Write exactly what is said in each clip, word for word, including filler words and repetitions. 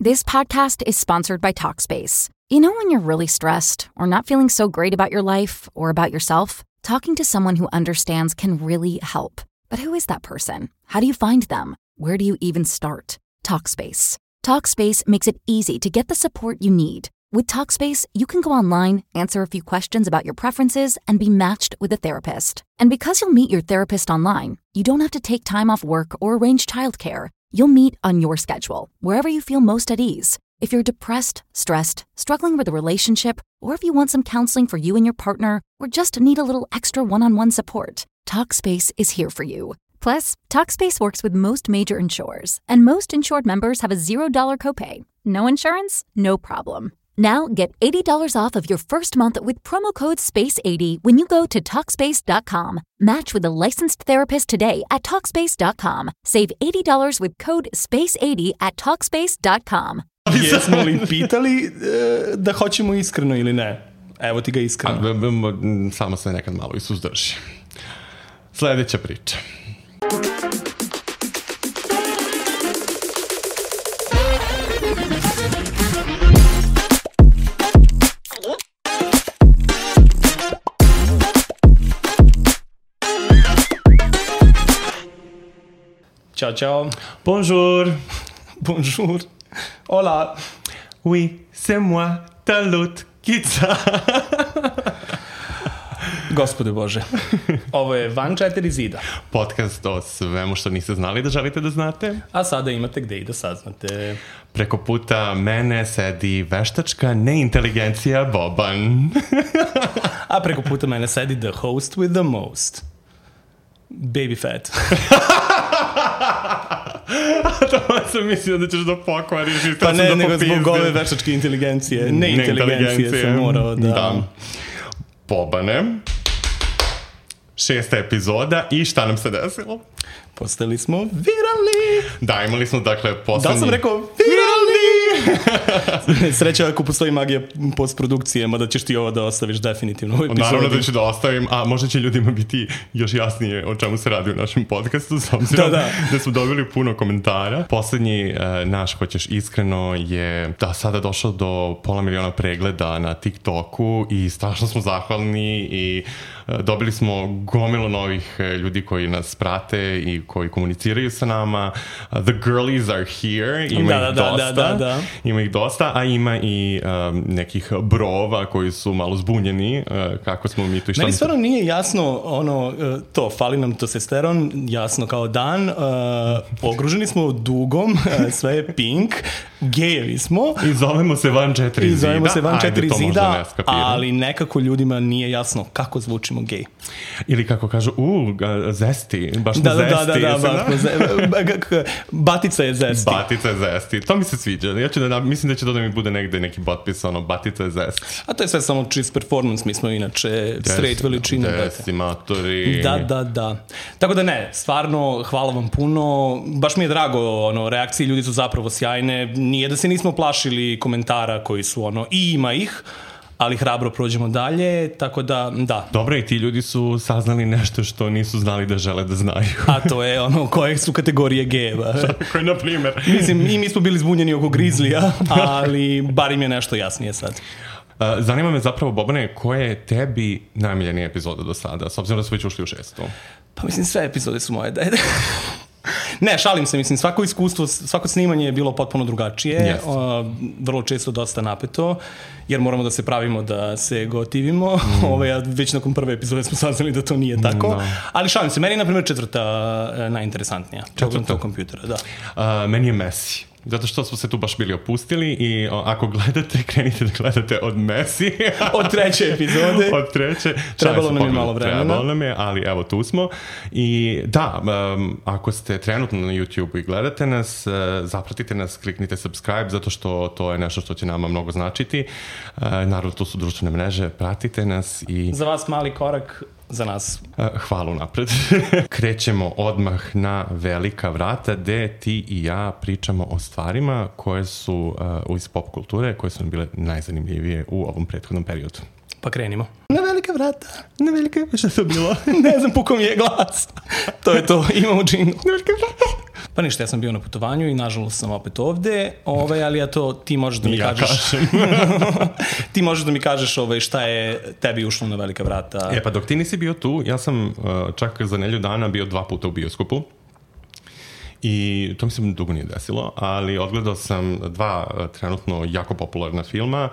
This podcast is sponsored by Talkspace. You know when you're really stressed or not feeling so great about your life or about yourself? Talking to someone who understands can really help. But who is that person? How do you find them? Where do you even start? Talkspace. Talkspace makes it easy to get the support you need. With Talkspace, you can go online, answer a few questions about your preferences, and be matched with a therapist. And because you'll meet your therapist online, you don't have to take time off work or arrange childcare. You'll meet on your schedule, wherever you feel most at ease. If you're depressed, stressed, struggling with a relationship, or if you want some counseling for you and your partner, or just need a little extra one-on-one support, Talkspace is here for you. Plus, Talkspace works with most major insurers, and most insured members have a zero dollars copay. No insurance? No problem. Now get eighty dollars off of your first month with promo code space eighty when you go to Talkspace dot com. Match with a licensed therapist today at Talkspace dot com. Save eighty dollars with code space eighty at Talkspace dot com. Jesmo li pitali e, da hoćemo iskreno ili ne? Evo ti ga iskreno. A, b, b, samo se nekad malo i suzdrži. Sljedeća priča. Ćao, čao. Bonjour. Bonjour. Hola. Oui, c'est moi, ta lutkica. Gospode Bože. Ovo je Van četiri zida. Podcast o svemu što niste znali da želite da znate. A sada imate gde i da saznate. Preko puta mene sedi veštačka neinteligencija Boban. A preko puta mene sedi the host with the most. Baby fat. To sam mislio da ćeš da pokvariš. Pa ne, nego zbog ove veštačke inteligencije. Ne inteligencije sam morao da... da. Bobane. Šesta epizoda i šta nam se desilo? Postali smo viralni. Da, imali smo dakle poslednji... Da li sam rekao viralni? Sreća ako postoji magija postprodukcije, mada ćeš ti ovo da ostaviš definitivno u epizodi. Naravno da ću da ostavim, a možda će ljudima biti još jasnije o čemu se radi u našem podcastu, s obzirom da, da. da smo dobili puno komentara. Poslednji uh, naš, hoćeš iskreno, je da sada došao do pola miliona pregleda na TikToku i strašno smo zahvalni i uh, dobili smo gomilu novih uh, ljudi koji nas prate i koji komuniciraju sa nama. Uh, the girlies are here, ima da, ih da, dosta. Da, da, da. Ima ih dosta, a ima i um, nekih brova koji su malo zbunjeni, uh, kako smo mi tu i šta... Meni stvarno nije jasno ono, uh, to, fali nam testosteron, jasno kao dan, uh, ogruženi smo dugom, uh, sve je pink, gejevi smo. I zovemo se Van četiri zida. I zovemo se Van Ajde, četiri zida, ne ali nekako ljudima nije jasno kako zvučimo gej. Ili kako kažu, u, zesti, baš da, da, da, zesti. Da, da, da, baš ze... Batica je zesti. Batica je zesti, to mi se sviđa. Ja ću da, mislim da će to da mi bude negde neki potpis, ono, Batica je zesti. A to je sve samo čist performance, mi smo inače straight veličine. Decimatori. Da, da, da. Tako da ne, stvarno, hvala vam puno. Baš mi je drago, ono, reakcije ljudi su zapravo sjajne. Nije da se nismo plašili komentara koji su, ono, i ima ih, ali hrabro prođemo dalje, tako da, da. Dobro, i ti ljudi su saznali nešto što nisu znali da žele da znaju. A to je ono, koje su kategorije gejeva. Koje, na primjer. Mislim, i mi smo bili zbunjeni oko Grizlija, ali bar im je nešto jasnije sad. Uh, zanima me zapravo, Bobane, koja je tebi najmiljenija epizoda do sada, s obzirom da smo već ušli u šestu? Pa mislim, sve epizode su moje. Ne, šalim se, mislim, svako iskustvo, svako snimanje je bilo potpuno drugačije, yes. uh, vrlo često dosta napeto, jer moramo da se pravimo da se gotivimo. Mm. Ove, već nakon prve epizode smo saznali da to nije tako, no. Ali šalim se, meni je, na primjer, četvrta uh, najinteresantnija. Četvrta? Kompjutera, da. Uh, meni je Messi. Zato što smo se tu baš bili opustili i o, ako gledate, krenite da gledate od Messi. Od treće epizode. Od treće. Trebalo nam je malo vremena. Trebalo nam je, ali evo tu smo. I da, um, ako ste trenutno na YouTube i gledate nas, uh, zapratite nas, kliknite subscribe, zato što to je nešto što će nama mnogo značiti. Uh, naravno, tu su društvene mreže, pratite nas i... Za vas mali korak, za nas. Hvala napred. Krećemo odmah na velika vrata gde ti i ja pričamo o stvarima koje su uh, iz pop kulture, koje su nam bile najzanimljivije u ovom prethodnom periodu. Pa krenimo. Na velika vrata. Na velika, šta je to bilo? Ne znam, puko mi je glas. To je to, imamo džingl. Na velika vrata. Pa ništa, ja sam bio na putovanju i nažalost sam opet ovde, ovaj, ali ja to ti možeš da mi ja kažeš... ti možeš da mi kažeš ovaj, šta je tebi ušlo na velika vrata. E pa dok ti nisi bio tu, ja sam uh, čak za nedelju dana bio dva puta u bioskopu. I to mi se dugo nije desilo, ali odgledao sam dva uh, trenutno jako popularna filma.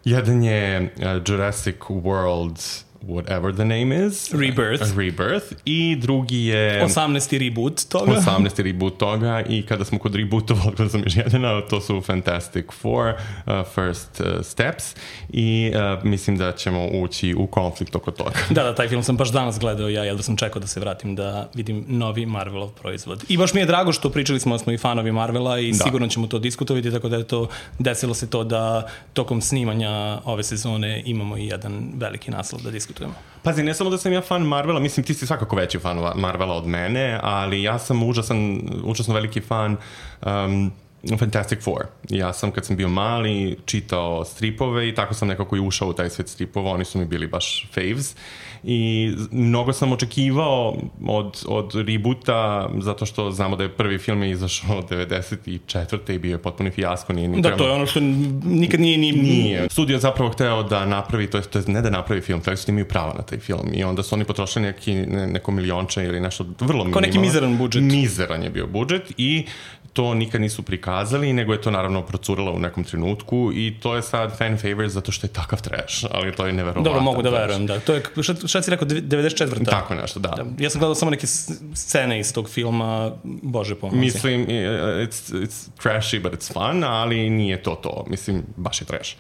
Jedan je uh, Jurassic World, whatever the name is. Rebirth. Rebirth. I drugi je... osamnaesti reboot toga. osamnaesti reboot toga. I kada smo kod rebootova, odgledao sam još jedan, to su Fantastic Four, uh, First uh, Steps. I uh, mislim da ćemo ući u konflikt oko toga. Da, da, taj film sam baš danas gledao, ja jedva sam čekao da se vratim da vidim novi Marvelov proizvod. I baš mi je drago što pričali smo da smo i fanovi Marvela i da. Sigurno ćemo to diskutovati, tako da je to, desilo se to da tokom snimanja ove sezone imamo i jedan veliki naslov da diskutujemo. Pazi, ne samo da sam ja fan Marvela, mislim ti si svakako veći fan Marvela od mene, ali ja sam užasan, užasno veliki fan um, Fantastic Four. Ja sam kad sam bio mali čitao stripove i tako sam nekako i ušao u taj svet stripova, oni su mi bili baš faves i mnogo sam očekivao od, od reboota zato što znamo da je prvi film je izašao devedeset četvrte i bio je potpuni fijasko. Nije, nije da, trebalo... to je ono što nikad nije... Ni... Nije. Studio je zapravo hteo da napravi, to je, to je ne da napravi film, hteli su da imaju prava na taj film i onda su oni potrošili neki, ne, neko milionče ili nešto vrlo minimalno. Kao neki mizeran budžet. Mizeran je bio budžet i to nikad nisu prikazali, nego je to naravno procuralo u nekom trenutku i to je sad fan favorite zato što je takav trash, ali to je neverovatno. Dobro, mogu da verujem, da. To je, šta, šta si rekao, devedeset četvrta Tako nešto, da. da. Ja sam gledao samo neke scene iz tog filma, bože pomozi. Mislim, it's, it's trashy, but it's fun, ali nije to to. Mislim, baš je trash.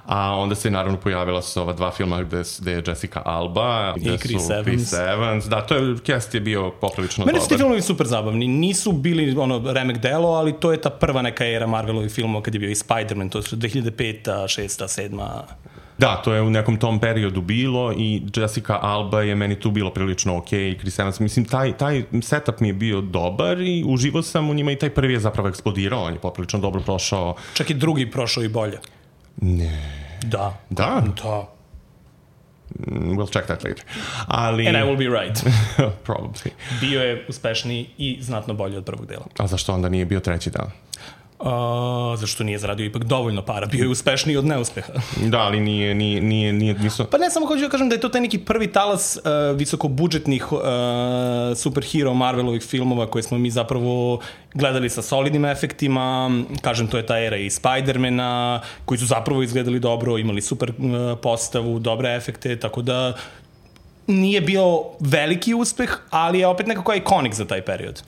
A onda se naravno pojavila su ova dva filma gde, gde je Jessica Alba, gde i Chris su Evans. Chris Evans. Da, to je, cast je bio poprilično dobar. Mene su ti filmovi super zabavni. Nisu bili ono remek delo, ali to je ta prva neka era Marvelovih filmova kad je bio i Spider-Man, to su dve hiljade peta, šesta, sedma Da, to je u nekom tom periodu bilo i Jessica Alba je meni tu bilo prilično okej okay, i Chris Evans. Mislim, taj, taj setup mi je bio dobar i uživao sam u njima i taj prvi je zapravo eksplodirao, on je poprilično dobro prošao. Čak i drugi prošao i bolje. Ne. Da. Da? Da. We'll check that later. Ali... And I will be right. Probably. Bio je uspešniji i znatno bolji od prvog dela. A zašto onda nije bio treći dan? Uh, zašto nije zaradio ipak dovoljno para, bio je uspešniji od neuspeha. Da, ali nije, nije, nije, nije nisu... Pa ne, samo hoću da kažem da je to taj neki prvi talas uh, visokobudžetnih uh, superhero Marvelovih filmova koje smo mi zapravo gledali sa solidnim efektima, kažem, to je ta era i Spider-mana, koji su zapravo izgledali dobro, imali super uh, postavu, dobre efekte, tako da nije bio veliki uspeh, ali je opet nekako ikonik za taj period.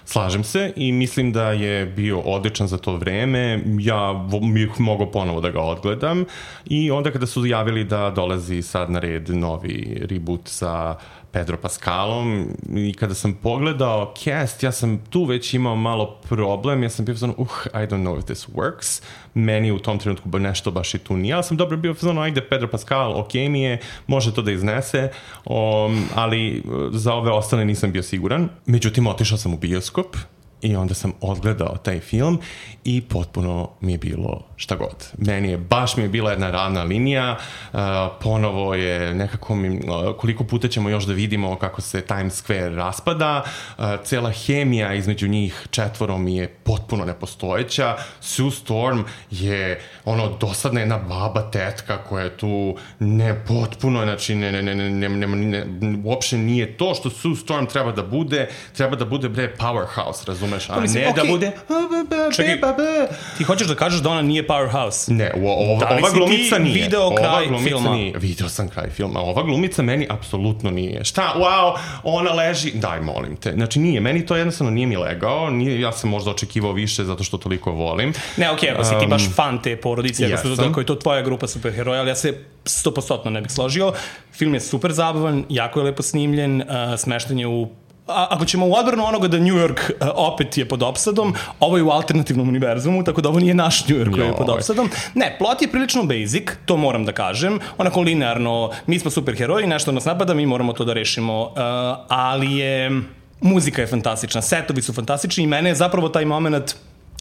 Slažem se i mislim da je bio odličan za to vreme. Ja bih mogao ponovo da ga odgledam i onda kada su javili da dolazi sad na red novi reboot sa Pedro Pascalom i kada sam pogledao cast, ja sam tu već imao malo problem, ja sam bio fazon, uh, I don't know if this works. Meni u tom trenutku nešto baš i tu nije, ali sam dobro bio fazon, ajde Pedro Pascal, ok mi je, može to da iznese, um, ali za ove ostale nisam bio siguran. Međutim, otišao sam u bioskop i onda sam odgledao taj film i potpuno mi je bilo šta god. Meni je, baš mi je bila jedna ravna linija, uh, ponovo je nekako mi, uh, koliko puta ćemo još da vidimo kako se Times Square raspada, uh, cela hemija između njih četvoro mi je potpuno nepostojeća, Sue Storm je ono dosadna jedna baba tetka koja je tu ne potpuno, znači ne, ne, ne, ne, ne, ne, uopšte nije to što Sue Storm treba da bude, treba da bude bre powerhouse, razumeš, a mislim, ne okay. da bude čekaj, ti hoćeš da kažeš da ona nije powerhouse? Ne, o, o, da ova glumica nije. Video ova kraj glumica filma? Nije. Video sam kraj filma. Ova glumica meni apsolutno nije. Šta? Wow, ona leži. Daj, molim te. Znači nije, meni to jednostavno nije mi legao. Nije, ja sam možda očekivao više zato što toliko volim. Ne, okej, okay, ako si ti baš fan te porodice, ako, su, ako je to tvoja grupa superheroja, ali ja se sto posto ne bih složio. Film je super zabavan, jako je lepo snimljen, uh, smešten je u A, ako ćemo u odbranu onoga da New York uh, opet je pod opsadom, ovo je u alternativnom univerzumu, tako da ovo nije naš New York koji je pod opsadom. Ne, plot je prilično basic, to moram da kažem, onako linearno, mi smo superheroji, nešto nas napada, mi moramo to da rešimo, uh, ali je, muzika je fantastična, setovi su fantastični i mene je zapravo taj moment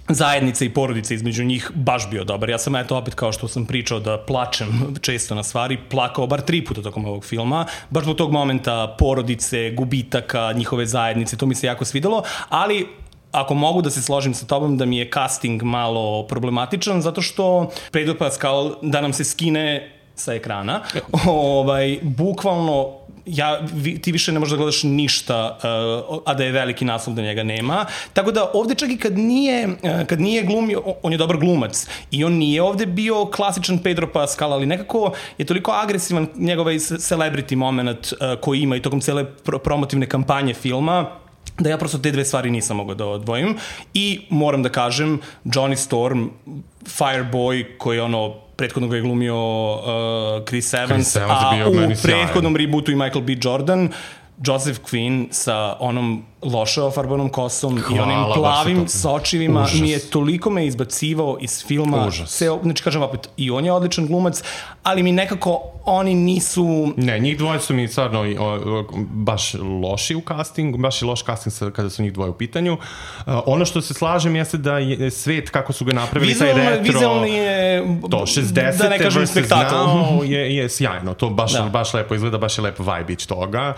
zajednice i porodice između njih baš bio dobar. Ja sam eto opet, kao što sam pričao, da plačem često na stvari, plakao bar tri puta tokom ovog filma, baš zbog tog momenta porodice, gubitaka, njihove zajednice, to mi se jako svidelo, ali ako mogu da se složim sa tobom da mi je casting malo problematičan, zato što Pedro Pascal da nam se skine sa ekrana, ovaj, bukvalno ja, vi, ti više ne možeš da gledaš ništa, uh, a da je veliki naslov da njega nema. Tako da ovde čak i kad nije, uh, kad nije glumio, on je dobar glumac i on nije ovde bio klasičan Pedro Pascal, ali nekako je toliko agresivan njegov celebrity moment uh, koji ima i tokom cele pro promotivne kampanje filma, da ja prosto te dve stvari nisam mogao da odvojim. I moram da kažem, Johnny Storm, Fireboy, koji je ono, prethodno ga je glumio uh, Chris Evans, Chris Evans a u prethodnom rebootu i Michael B. Jordan, Joseph Quinn sa onom loše ofarbanom kosom Hvala, i onim plavim sočivima mi je toliko me izbacivao iz filma. Se, znači kažem opet, i on je odličan glumac, ali mi nekako oni nisu... Ne, njih dvoje su mi stvarno baš loši u castingu, baš i loš casting kada su njih dvoje u pitanju. Uh, ono što se slažem jeste da je svet kako su ga napravili, vizualno, taj retro... Vizualni je... To, šezdeset da ne kažem spektakl. je, je sjajno, to baš, da. baš lepo izgleda, baš je lep vibe ić toga,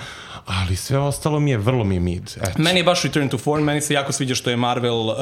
ali sve ostalo mi je, vrlo mi je mid. Eto. Meni je baš Return to Form, meni se jako sviđa što je Marvel uh,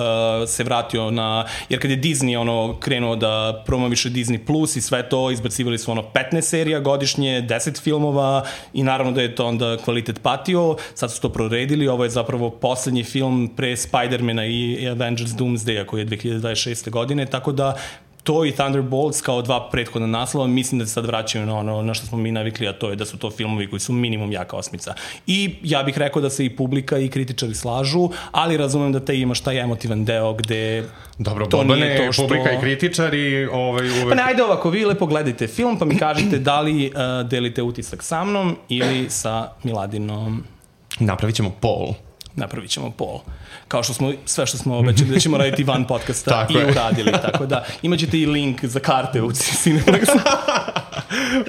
se vratio na, jer kad je Disney ono krenuo da promoviše Disney Plus i sve to, izbacivali su ono petnaest serija godišnje, deset filmova i naravno da je to onda kvalitet patio, sad su to proredili, ovo je zapravo poslednji film pre Spider-mana i Avengers Doomsday-a koji je dve hiljade dvadeset šeste godine, tako da to i Thunderbolts kao dva prethodna naslova mislim da se sad vraćaju na ono na što smo mi navikli, a to je da su to filmovi koji su minimum jaka osmica. I ja bih rekao da se i publika i kritičari slažu, ali razumem da te imaš taj emotivan deo gde dobro, to nije to što... publika i kritičari ovaj, uvek... Pa ne, ajde ovako, vi lepo gledajte film pa mi kažete da li uh, delite utisak sa mnom ili sa Miladinom. Napravit ćemo poll. Napravit ćemo poll. Kao što smo, sve što smo obećali da ćemo raditi van podcasta i uradili, tako da imat ćete i link za karte u Cineplex.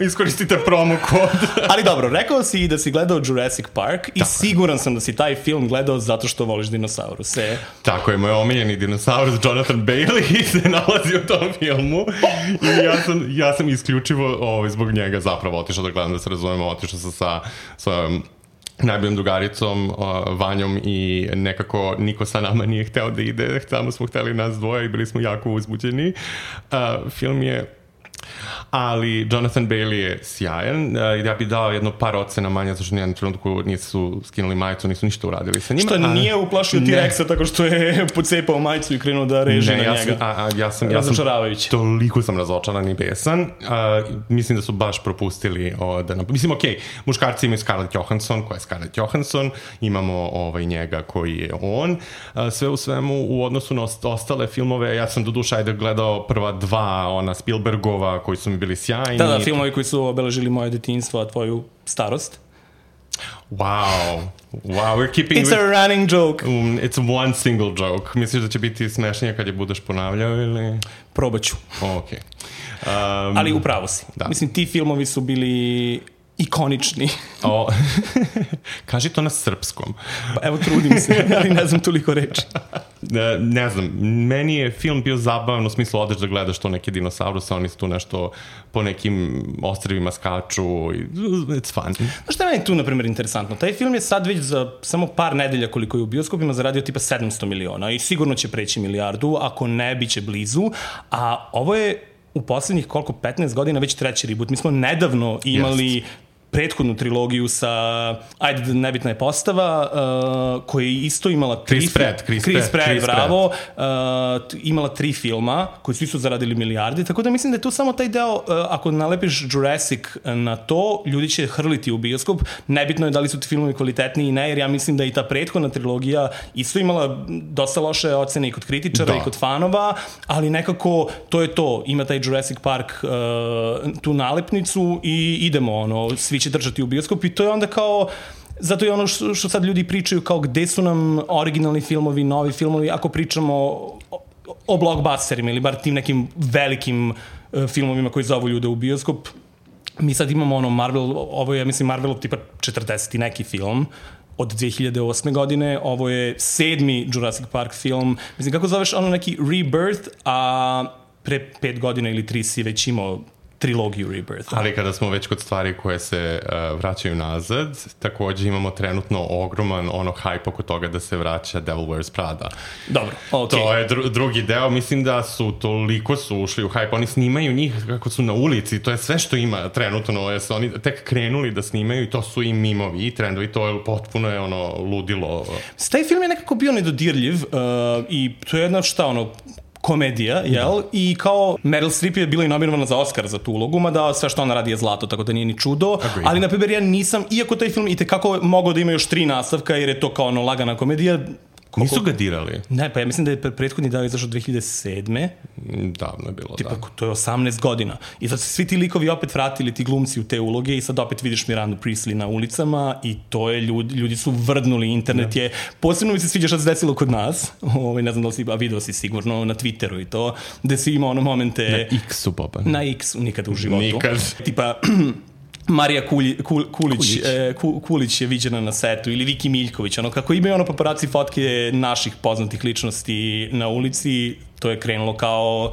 Iskoristite promo kod. Ali dobro, rekao si i da si gledao Jurassic Park i tako siguran sam da si taj film gledao zato što voliš dinosauruse. Tako je, moj omiljeni dinosaurus Jonathan Bailey se nalazi u tom filmu i ja sam, ja sam isključivo ovaj, zbog njega zapravo otišao da gledam, da se razumemo, otišao sam sa svojom najboljom drugaricom, uh, Vanjom i nekako niko sa nama nije hteo da ide, samo smo hteli nas dvoje i bili smo jako uzbuđeni. Uh, film je ali Jonathan Bailey je sjajan. Ja bih dao jedno par ocena manje, zato što nijednom trenutku nisu skinuli majicu, nisu ništa uradili sa njima. Što nije uplašio T-Rexa tako što je pocepao majicu i krenuo da reži ne, na ja njega. Sam, a, a, ja sam, ja sam toliko sam razočaran i besan. A, mislim da su baš propustili o, da... Mislim, okej, okay, muškarci imaju Scarlett Johansson, koja je Scarlett Johansson, imamo ovaj, njega koji je on. A, sve u svemu, u odnosu na ostale filmove, ja sam do duša ajde gledao prva dva, ona Spielbergova, koji su mi bili sjajni. Da, da, filmovi koji su obeležili moje detinjstvo, a tvoju starost. Wow. Wow, we're keeping... It's with... a running joke. Um, it's one single joke. Misliš da će biti smešnije kad je budeš ponavljao ili... Probat ću. Okej. Okay. Um, Ali upravo si. Da. Mislim, ti filmovi su bili... ikonični. O, kaži to na srpskom. Pa evo, trudim se, ali ne znam toliko reči. Ne, ne znam, meni je film bio zabavan u smislu odeš da gledaš to neke dinosauruse, oni su tu nešto po nekim ostrvima skaču, it's fun. Znaš šta je meni tu, na primjer, interesantno? Taj film je sad već za samo par nedelja koliko je u bioskopima zaradio tipa sedamsto miliona i sigurno će preći milijardu, ako ne, bit će blizu, a ovo je u poslednjih koliko, petnaest godina već treći reboot. Mi smo nedavno imali yes. prethodnu trilogiju sa, ajde, nebitna je postava, uh, koja je isto imala tri... Chris Pratt, Chris, Chris Pratt, Pratt, Chris bravo. Uh, imala tri filma, koji su isto zaradili milijarde, tako da mislim da je tu samo taj deo, uh, ako nalepiš Jurassic na to, ljudi će hrliti u bioskop. Nebitno je da li su ti filmovi kvalitetni i ne, jer ja mislim da i ta prethodna trilogija isto imala dosta loše ocene i kod kritičara da. i kod fanova, ali nekako to je to. Ima taj Jurassic Park uh, tu nalepnicu i idemo, ono, svi će držati u bioskop i to je onda kao, zato je ono što, što sad ljudi pričaju kao gde su nam originalni filmovi, novi filmovi, ako pričamo o, o blockbusterima ili bar tim nekim velikim uh, filmovima koji zovu ljude u bioskop. Mi sad imamo ono Marvel, ovo je, ja mislim, Marvelov tipa četrdeseti neki film od dve hiljade osme godine, ovo je sedmi Jurassic Park film, mislim, kako zoveš ono neki Rebirth, a pre pet godina ili tri si već imao trilogiju Rebirth. Ali kada smo već kod stvari koje se uh, vraćaju nazad, takođe imamo trenutno ogroman ono hype oko toga da se vraća Devil Wears Prada. Dobro, ok. To je dru- drugi deo, mislim da su toliko su ušli u hype, oni snimaju njih kako su na ulici, to je sve što ima trenutno, jer su oni tek krenuli da snimaju i to su i mimovi i trendovi, to je potpuno je ono ludilo. Taj film je nekako bio nedodirljiv uh, i to je jedna šta ono, komedija, jel? Da. I kao Meryl Streep je bila i nominovana za Oscar za tu ulogu, mada sve što ona radi je zlato, tako da nije ni čudo. Agreed. Ali, na primjer, ja nisam, iako taj film i tekako mogao da ima još tri nastavka, jer je to kao ono lagana komedija. Koliko... Nisu ga dirali? Ne, pa ja mislim da je prethodni dao izašao dve hiljade sedme. Davno je bilo, tipa, da. To je osamnaest godina. I sad se svi ti likovi opet vratili, ti glumci u te uloge i sad opet vidiš Mirandu Priestley na ulicama i to je, ljudi, ljudi su vrdnuli, internet je, posebno mi se sviđa što se desilo kod nas, ovaj, ne znam da li si, a video si sigurno na Twitteru i to, gde si imao ono momente... Na X-u, Boba. Na X-u, nikada u životu. Nikad. Tipa... Marija Kulji, Kul, Kulić, Kulić. E, Kulić je viđena na setu ili Viki Miljković, ono kako imaju ono paparaci fotke naših poznatih ličnosti na ulici, to je krenulo kao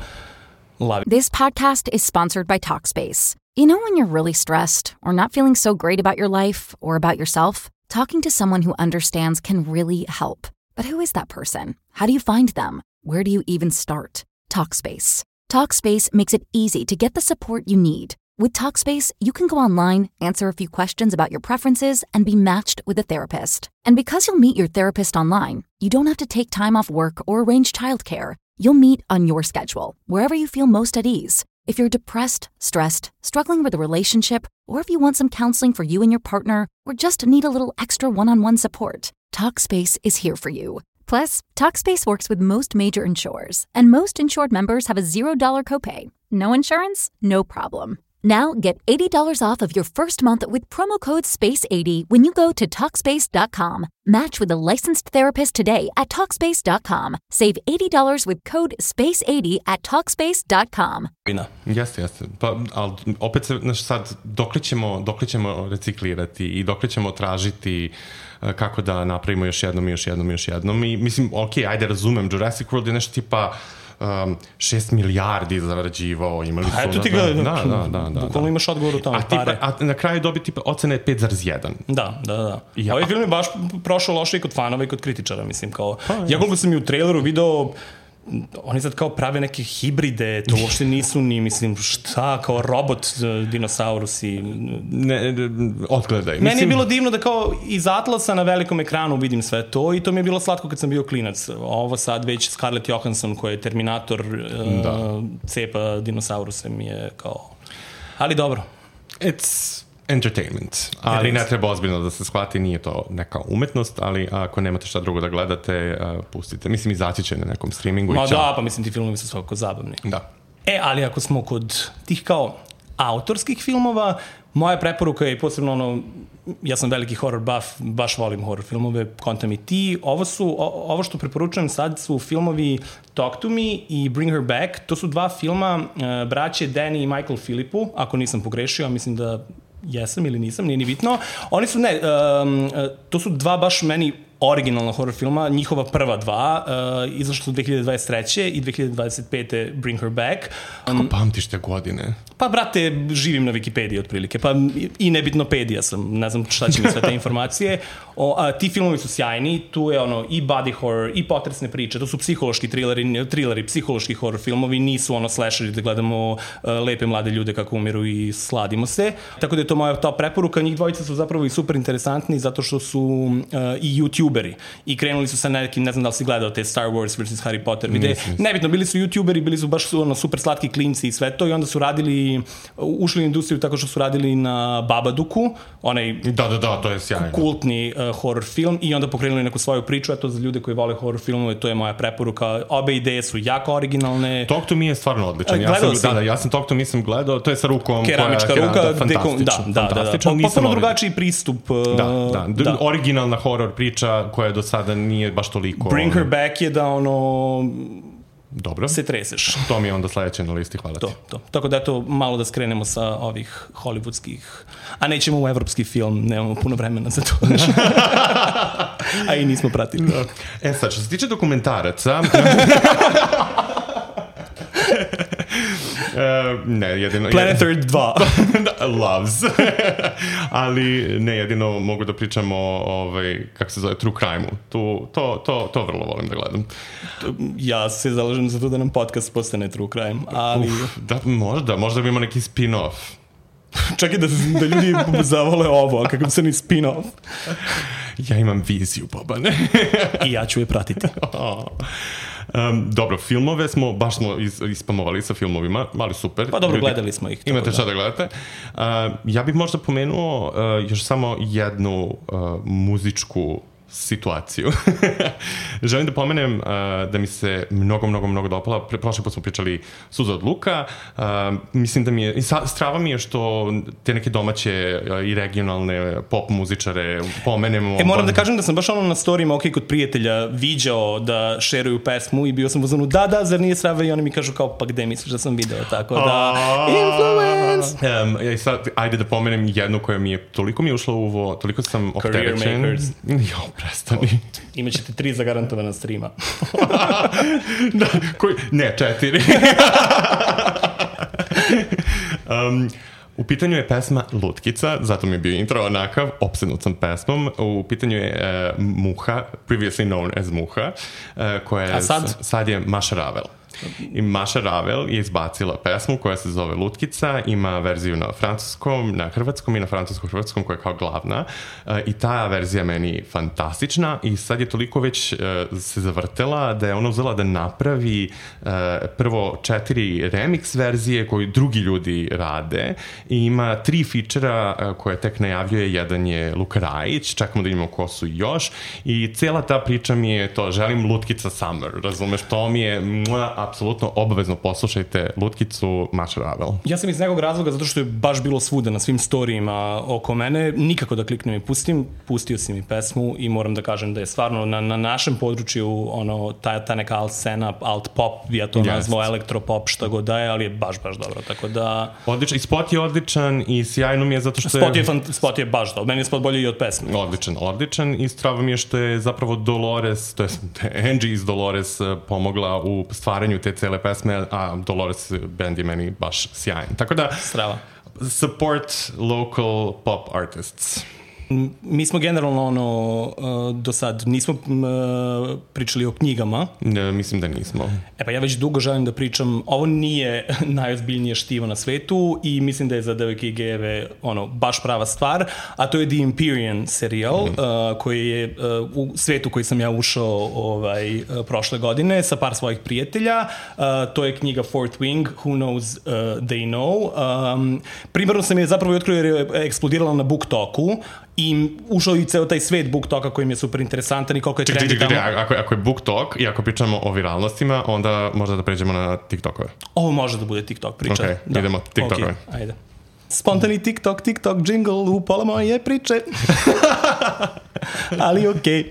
lavi. This podcast is sponsored by Talkspace. You know when you're really stressed or not feeling so great about your life or about yourself? Talking to someone who understands can really help. But who is that person? How do you find them? Where do you even start? Talkspace. Talkspace makes it easy to get the support you need. With Talkspace, you can go online, answer a few questions about your preferences, and be matched with a therapist. And because you'll meet your therapist online, you don't have to take time off work or arrange childcare. You'll meet on your schedule, wherever you feel most at ease. If you're depressed, stressed, struggling with a relationship, or if you want some counseling for you and your partner, or just need a little extra one-on-one support, Talkspace is here for you. Plus, Talkspace works with most major insurers, and most insured members have a zero dollar copay. No insurance? No problem. Now get eighty dollars off of your first month with promo code space eighty when you go to Talkspace dot com. Match with a licensed therapist today at Talkspace dot com. Save eighty dollars with code space eighty at Talkspace dot com. Jeste, jeste. Pa, ali opet se, znaš, sad, dokle ćemo, dokle ćemo reciklirati i dokle ćemo tražiti uh, kako da napravimo još jednom i još jednom i još jednom. I mislim, ok, ajde, razumem, Jurassic World je nešto tipa Um, šest milijardi zarađivao, imali su... A eto ti gleda, da, da, da, da, bukvalno imaš odgovor u tome, a pare. A na kraju dobi tipa ocena je pet zarez jedan. Da, da, da. Ja. Ovaj film je baš prošao loše i kod fanova i kod kritičara, mislim, kao... Pa, ja koliko sam i u traileru video... Oni sad kao prave neke hibride, to uopšte nisu ni, mislim, šta, kao robot dinosaurusi. Ne, odgledaj. Meni mislim... je bilo divno da kao iz Atlasa na velikom ekranu vidim sve to i to mi je bilo slatko kad sam bio klinac. Ovo sad već Scarlett Johansson koja je Terminator da. uh, cepa dinosauruse mi je kao... Ali dobro. It's... entertainment, ali ne treba ozbiljno da se shvati, nije to neka umetnost, ali ako nemate šta drugo da gledate, pustite. Mislim, izaći će na nekom streamingu. Ma da, pa mislim ti filmovi su svakako zabavni. Da. E, ali ako smo kod tih kao autorskih filmova, moja preporuka je posebno ono, ja sam veliki horror buff, baš volim horror filmove, kontam i ti. Ovo su, o, ovo što preporučujem sad su filmovi Talk to Me i Bring Her Back. To su dva filma uh, braće Danny i Michael Philippu, ako nisam pogrešio, a mislim da jesam ili nisam, nije ni bitno. Oni su, ne, um, to su dva baš meni originalna horror filma, njihova prva dva, uh, izašla su dve hiljade dvadeset treće i dve hiljade dvadeset pete Bring Her Back. Um, Kako pamtiš te godine? Pa, brate, živim na Wikipediji otprilike, pa i nebitnopedija sam, ne znam šta će mi sve te informacije. O, a, ti filmovi su sjajni, tu je ono i body horror, i potresne priče, to su psihološki trileri, trileri, psihološki horror filmovi, nisu ono slasheri da gledamo uh, lepe mlade ljude kako umiru i sladimo se. Tako da je to moja top preporuka, njih dvojica su zapravo i super interesantni zato što su uh, i youtuberi i krenuli su sa nekim, ne znam da li si gledao te Star Wars versus Harry Potter videe, nebitno, bili su youtuberi, bili su baš ono, super slatki klinci i sve to i onda su radili, ušli u industriju tako što su radili na Babadooku, onaj da, da, da, to je sjajno. Kultni uh, horror film i onda pokrenuli neku svoju priču, eto za ljude koji vole horror filmove, to je moja preporuka. Obe ideje su jako originalne. Talk to Me je stvarno odličan. Ja sam, da, da, ja sam Talk to Me sam gledao, to je sa rukom keramička koja, ruka, da, fantastičan, da, da, da, da, da. Potpuno drugačiji pristup. Uh, da, da, da, originalna horror priča koja do sada nije baš toliko... Bring Her Back je da ono... Dobro. Se treseš. To mi je onda sledeće na listi, hvala ti. To, to. Tako da eto, malo da skrenemo sa ovih hollywoodskih, a nećemo u evropski film, nemamo puno vremena za to. A i nismo pratili. E sad, što se tiče dokumentaraca... Uh, ne, jedino... Planet Earth dva. Loves. Ali ne, jedino mogu da pričam o, ovaj, kako se zove, True Crime-u. Tu, to, to, to vrlo volim da gledam. Ja se zalažem za to da nam podcast postane True Crime, ali... Uf, da, možda, možda bi imao neki spin-off. Čak i da, da ljudi zavole ovo, a kakav se ni spin-off. Ja imam viziju, Bobane. I ja ću je pratiti. Um, dobro, filmove smo, baš smo is, ispamovali sa filmovima, ali super. Pa dobro, ljudi, gledali smo ih. Imate šta da gledate. Uh, ja bih možda pomenuo uh, još samo jednu uh, muzičku situaciju. Želim da pomenem uh, da mi se mnogo, mnogo, mnogo dopala. Pre, prošli put smo pričali Suza od luka. Uh, mislim da mi je, i sa, strava mi je što te neke domaće uh, i regionalne pop muzičare pomenemo. E, moram da kažem da sam baš ono na storijima, ok, kod prijatelja viđao da šeruju pesmu i bio sam u zonu, da, da, zar nije strava? I oni mi kažu kao, pa gde misliš da sam video? Tako da, influence! Um, ja sad, ajde da pomenem jednu koja mi je, toliko mi je ušla u ovo, toliko sam opterećen. Career Makers. Jo, prestani. Imaćete tri zagarantovana streama. Da, koji, ne, četiri. um, u pitanju je pesma Lutkica, zato mi je bio intro onakav, opsednut sam pesmom. U pitanju je uh, Muha, previously known as Muha, uh, koja je, a sad? sad je Maša Ravel. I Maša Ravel je izbacila pesmu koja se zove Lutkica, ima verziju na francuskom, na hrvatskom i na francuskom-hrvatskom koja je kao glavna uh, i ta verzija meni fantastična i sad je toliko već uh, se zavrtela da je ona uzela da napravi uh, prvo četiri remix verzije koje drugi ljudi rade i ima tri fičera uh, koje tek najavljuje, jedan je Luka Rajić, čekamo da imamo ko su još i cijela ta priča mi je to, želim Lutkica Summer, razumeš, to mi je mua, apsolutno obavezno poslušajte Lutkicu Maša Ravel. Ja sam iz nekog razloga, zato što je baš bilo svuda na svim storijima oko mene, nikako da kliknem i pustim, pustio si mi pesmu i moram da kažem da je stvarno na, na našem području ono, ta, ta neka alt scena, alt pop, ja to yes. nazvao elektropop, šta god da je, ali je baš, baš dobro, tako da... Odličan, i spot je odličan i sjajno mi je zato što spot je... je spot je baš dobro, meni je spot bolji i od pesme. Odličan, odličan i strava mi je što je zapravo Dolores, to je Angie iz Dolores pomogla u stvaranju te cele pesme, a Dolores band je meni baš sjajan. Tako da, strava. Support local pop artists. Mi smo generalno ono, do sad nismo pričali o knjigama. Ne, mislim da nismo. E pa ja već dugo želim da pričam, ovo nije najozbiljnije štivo na svetu i mislim da je za devojke i gejeve ono, baš prava stvar, a to je The Empyrean serijal, mm. uh, koji je uh, u svetu koji sam ja ušao ovaj, uh, prošle godine sa par svojih prijatelja. Uh, to je knjiga Fourth Wing, Who Knows uh, They Know. Um, primarno sam je zapravo otkrio jer je eksplodirala na BookToku i ušao i ceo taj svet BookToka koji mi je super interesantan i koliko je čekaj, trendi čekaj, tamo. Ako, ako je BookTok i ako pričamo o viralnostima, onda možda da pređemo na TikTokove. Ovo može da bude TikTok priča. Ok, da. idemo TikTokove. Okay, ajde. Spontani TikTok, TikTok jingle u pola moje priče. Ali okej. Okay.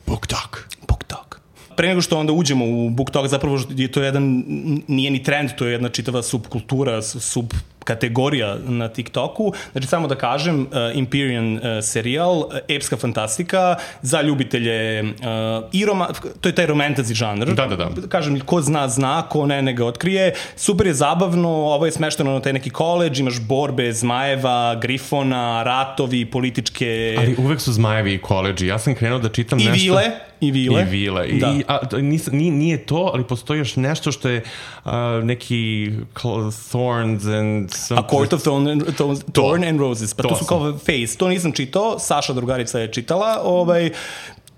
BookTok. BookTok. Pre nego što onda uđemo u BookTok, zapravo je to jedan, nije ni trend, to je jedna čitava subkultura, sub kategorija na TikToku. Znači, samo da kažem, uh, Empyrean uh, serijal, uh, epska fantastika za ljubitelje uh, i roma, to je taj romantasy žanr. Da, da, da. Kažem, ko zna, zna, ko ne, ne ga otkrije. Super je zabavno, ovo je smešteno na taj neki koleđ, imaš borbe zmajeva, grifona, ratovi, političke... Ali uvek su zmajevi i koleđi. Ja sam krenuo da čitam I nešto... Vile. I vile. I vile. Da. I, a, nis, nije, nije to, ali postoji još nešto što je uh, neki Thorns and... Some... A Court of Thorn and, Thorn, Thorn and Roses. Pa to, to su kao Face. To nisam čitao, Saša drugarica je čitala. Ovaj,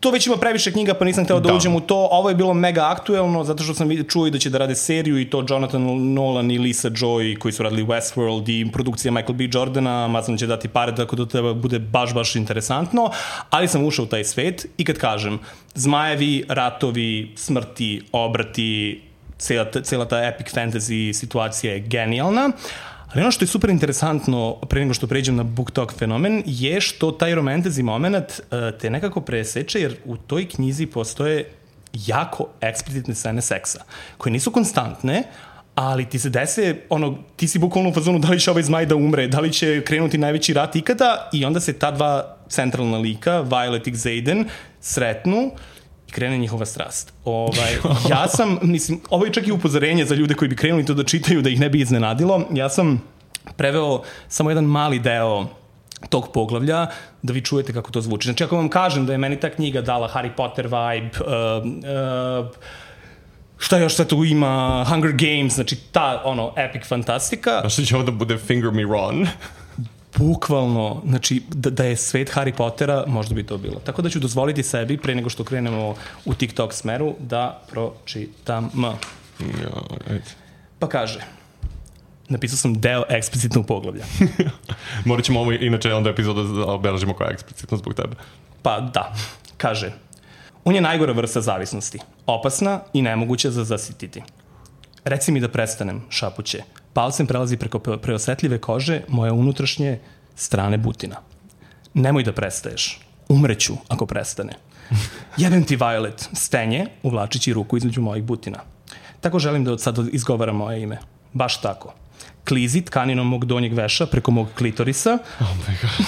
to već ima previše knjiga, pa nisam hteo da, da uđem u to. Ovo je bilo mega aktuelno, zato što sam čuo i da će da rade seriju i to Jonathan Nolan i Lisa Joy, koji su radili Westworld i produkcija Michael B. Jordana, Mazan će dati pare, tako da treba bude baš, baš interesantno. Ali sam ušao u taj svet i kad kažem, zmajevi, ratovi, smrti, obrati, cela, cela ta epic fantasy situacija je genijalna. Ali ono što je super interesantno, pre nego što pređem na BookTok fenomen, je što taj romantasy moment te nekako preseče, jer u toj knjizi postoje jako eksplicitne scene seksa, koje nisu konstantne, ali ti se dese, ono, ti si bukvalno u fazonu da li će ovaj zmaj da umre, da li će krenuti najveći rat ikada, i onda se ta dva centralna lika, Violet i Xaden, sretnu i krene njihova strast. Ovaj, ja sam, mislim, ovo je čak i upozorenje za ljude koji bi krenuli to da čitaju, da ih ne bi iznenadilo. Ja sam preveo samo jedan mali deo tog poglavlja, da vi čujete kako to zvuči. Znači, ako vam kažem da je meni ta knjiga dala Harry Potter vibe, uh, uh, šta još sve tu ima, Hunger Games, znači ta, ono, epic fantastika. A što će ovo da bude Finger Me Ron? Bukvalno, znači, da, da je svet Harry Pottera, možda bi to bilo. Tako da ću dozvoliti sebi, pre nego što krenemo u TikTok smeru, da pročitam. Ja, ajde. Pa kaže, napisao sam deo eksplicitnog poglavlja. Morat ćemo ovo, inače, onda epizoda da obeležimo koja je eksplicitno zbog tebe. Pa da, kaže, on je najgora vrsta zavisnosti, opasna i nemoguća za zasititi. Reci mi da prestanem, šapuće. Palcem prelazi preko preosetljive kože moje unutrašnje strane butina. Nemoj da prestaješ. Umreću ako prestane. Jebem ti, Violet, stenje, uvlačići ruku između mojih butina. Tako želim da od sada izgovaram moje ime. Baš tako. Klizi tkaninom mog donjeg veša preko mog klitorisa, oh my God.